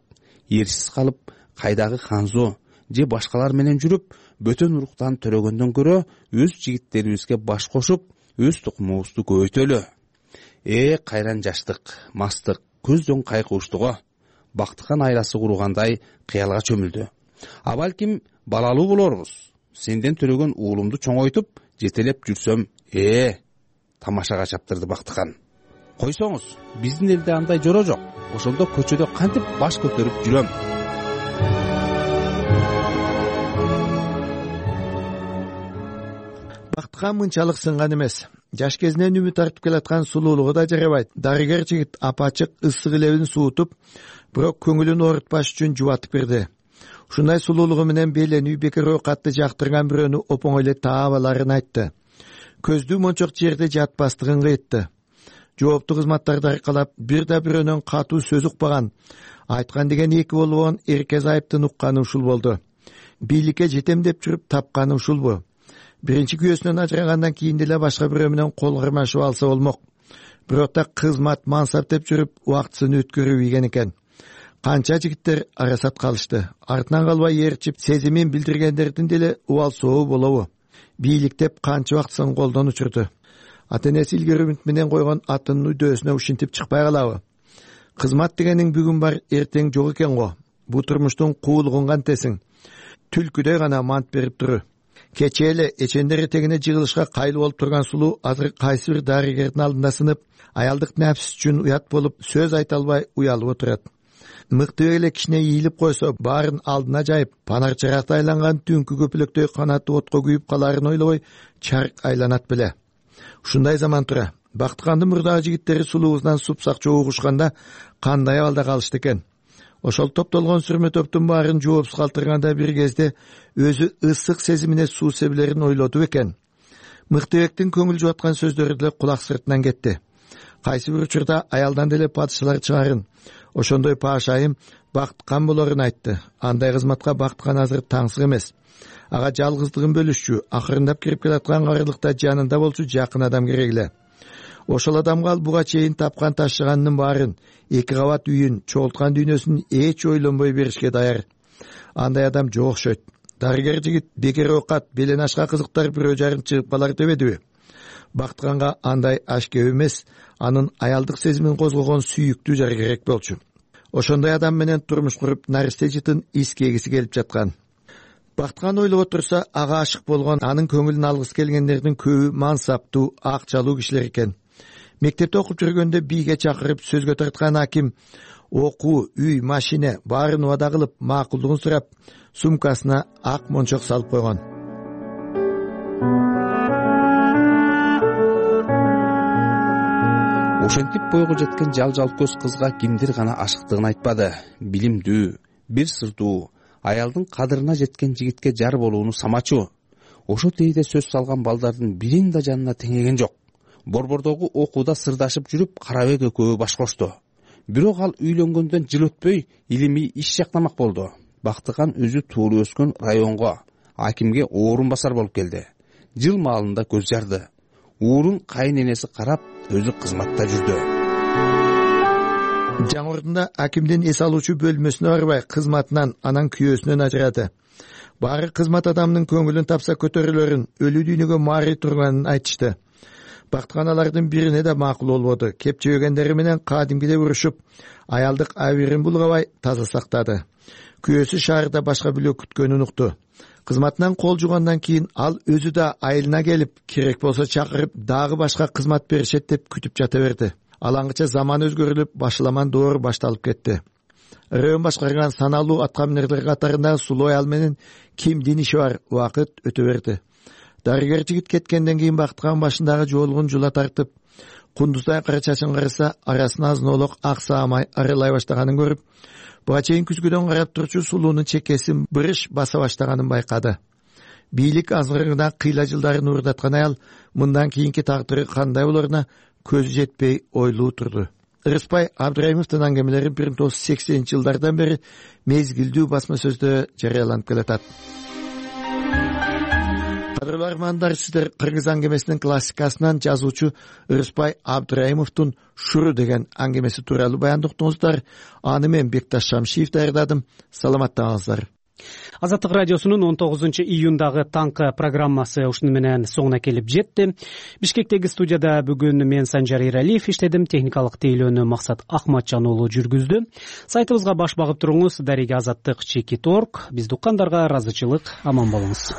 Эрсиз калып, кайдагы Ханзо же башкалар менен жүрүп, бөтөн уруктан төрөгөндөн көрө өз жигиттерибизге баш кошуп, өз тукумубузду көбөйтөлү. Э, кайран жаштык, мастык, көздөн кайкууштуго. Бактыкан айласы кургандай кыялга чөмүлдү. А балким балалуу болорбуз. Сенден төрөгөн уулумду чоңойтуп, жетелеп жүрсөм, э, тамашага чаптырды Бактыкан. Койсоңуз, биздин элде андай жора жок. Ошондо көчөдө кантип баш көтөрүп жүрөм. Бактыкан мынчалык сынган эмес. Жаш кезинен үмүт артып келаткан сулуулугу да жарабайт. Дарыгер жигит апачык ысык илебин суутуп, бирок көңүлүн оорутпаш үчүн жубатып берди. Ушундай сулуулугу менен беленүү бекер оокатты жактырган бирөөнү опоң эле таап аларын айтты. Көздүү мончок жерде жатпастыгын кыйтты. Жооптуу кызматтарды аркалап, бир да бирөөнөн катуу сөз укпаган, айткан деген эки болгон эрке зайыптын укканы ушул болду. Бийликке жетем деп жүрүп тапканы ушулбу? Биринчи күйөөсүнөн ажырагандан кийин деле башка бирөө менен кол кармашып алса болмок. Бирок да кызмат, мансап деп жүрүп убактысын өткөрүп ийген экен. Канча жигиттер арасат калышты. Артынан калбай ээрчип, сезимин билдиргендердин деле убал сообу болобу? Бийликтеп канча убактысын колдон учурду. Ата-энеси илгери үмүт менен койгон атынын үдөөсүнө ушинтип чыкпай калабы? Кызмат дегениң бүгүн бар, эртең жок экен го. Бу турмуштун куулугун кантесиң? Түлкүдөй гана мант берип туру. Кече эле эчендер этегине жыгылышка кайыл болуп турган сулуу азыр кайсы бир дарыгердин алдында сынып, аялдык нафс үчүн уят болуп, сөз айта албай уялып отурат. Мыкты эле кичине ийилип койсо, баарын алдына жайып, панар чыракта айланган түнкү көпүлөктөй канаты отко күйүп каларын ойлобой, чарк айланат беле. Ушундай заман тура. Бактыкандын мурдагы жигиттери сулуубуздан супсак чогугушканда кандай абалда калышты экен? Ошол топтолгон сүрмө топтун баарын жоопсуз калтырганда бир кезде өзү ысык сезимине суу себилерин ойлоду экен. Мыктыбектин көңүл жубаткан сөздөрү деле кулак сыртынан кетти. Кайсы бир учурда аялдан деле падышалар чыгарын. Ошондой паашайым Бактыкан болорун айтты. Андай кызматка Бактыкан азыр таңсык эмес. Ага жалгыздыгын бөлүшчү, акырындап кирип келаткан карылыкта жанында болчу жакын адам керек эле. Ошол адамга ал буга чейин тапкан ташыганынын баарын, эки кабат үйүн, чогулткан дүйнөсүн эч ойлонбой беришке даяр. Андай адам жок окшойт. Дарыгер жигит бекер оокат, белен ашка кызыктар бирөө жарым чыгып калар дебедиби? Бактыканга андай аш кеп эмес, анын аялдык сезимин козгогон сүйүктүү жар керек болчу. Ошондой адам менен турмуш куруп, наристе жытын искегиси келип жаткан. Бактыкан ойлоп отурса, ага ашык болгон, анын көңүлүн алгысы келгендердин көбү мансаптуу, акчалуу кишилер экен. Мектепте окуп жүргөндө бийге чакырып сөзгө тарткан аким окуу, үй, машина баарын убада кылып, макулдугун сурап, сумкасына ак мончок салып койгон. Ошентип бойго жеткен жал-жал көз кызга кимдир гана ашыктыгын айтпады. Билимдүү, бир сырдуу, аялдын кадырына жеткен жигитке жар болууну самачу. Ошо тейде сөз салган балдардын бирин да жанына теңеген жок. Борбордогу окууда сырдашып жүрүп, Карабек экөө баш кошту. Бирок ал үйлөнгөндөн жыл өтпөй илимий иш жактамак болду. Бактыкан өзү туулуп өскөн районго, акимге орун басар болуп келди. Жыл маалында көз жарды. Уурун кайын энеси карап, өзү кызматта жүрдү. Жаңы ордунда акимдин эс алуучу бөлмөсүнө барбай, кызматынан, анан күйөөсүнөн ажырады. Баары кызмат адамдын көңүлүн тапса көтөрүлөрүн, өлүү дүйнөгө мари турганын айтышты. Бактыкан алардын бирине да макул болбоду. Кепчебегендери менен кадимгидей урушуп, аялдык абийирин булгабай таза сактады. Күйөөсү шаарда башка бүлө күткөнүн укту. Кызматынан кол жугандан кийин ал өзү да айылына келип, керек болсо чакырып, дагы башка кызмат беришет деп күтүп жата берди. Алаңгыча заман өзгөрүлүп, башламан доор башталып кетти. Район башкарган саналуу аткаминерлер катарындагы сулуу аял менен кимдин иши бар, убакыт өтө берди. дарыгер жигит кеткенден кийин Бактыган башындагы жоолугун жула тартып, кундуздай кара чачын караса, арасына азын-олок ак саамай арылай баштаганын көрүп, буга чейин күзгүдөн карап турчу сулуунун чекесин бырыш баса баштаганын байкады. Бийлик азгырына кыйла жылдарын уурдаткан аял мындан кийинки тагдыры кандай болоруна көзү жетпей ойлуу турду. Ырыспай Абдыраимовдун аңгемелери бир миң тогуз жүз сексенинчи жылдардан бери мезгилдүү басма сөздө жарыяланып келатат. Кадырлуу армандар, сиздер кыргыз аңгемесинин классикасынан жазуучу Ырыспай Абдыраимовдун Шуру деген аңгемеси тууралуу баянды уктуңуздар. Аны мен Бекташ Шамшиев даярдадым. Саламаттаңыздар. Азаттык радиосунун он тогузунчу июндагы таңкы программасы ушуну менен соңуна келип жетти. Бишкектеги студияда бүгүн мен Санжар Эралиев иштедим, техникалык тейлөөнү Максат Ахматжан уулу жүргүздү. Сайтыбызга баш багып туруңуз. Дареге азаттык чекит точка орг. Бизди уккандарга ыраазычылык, аман болуңуз.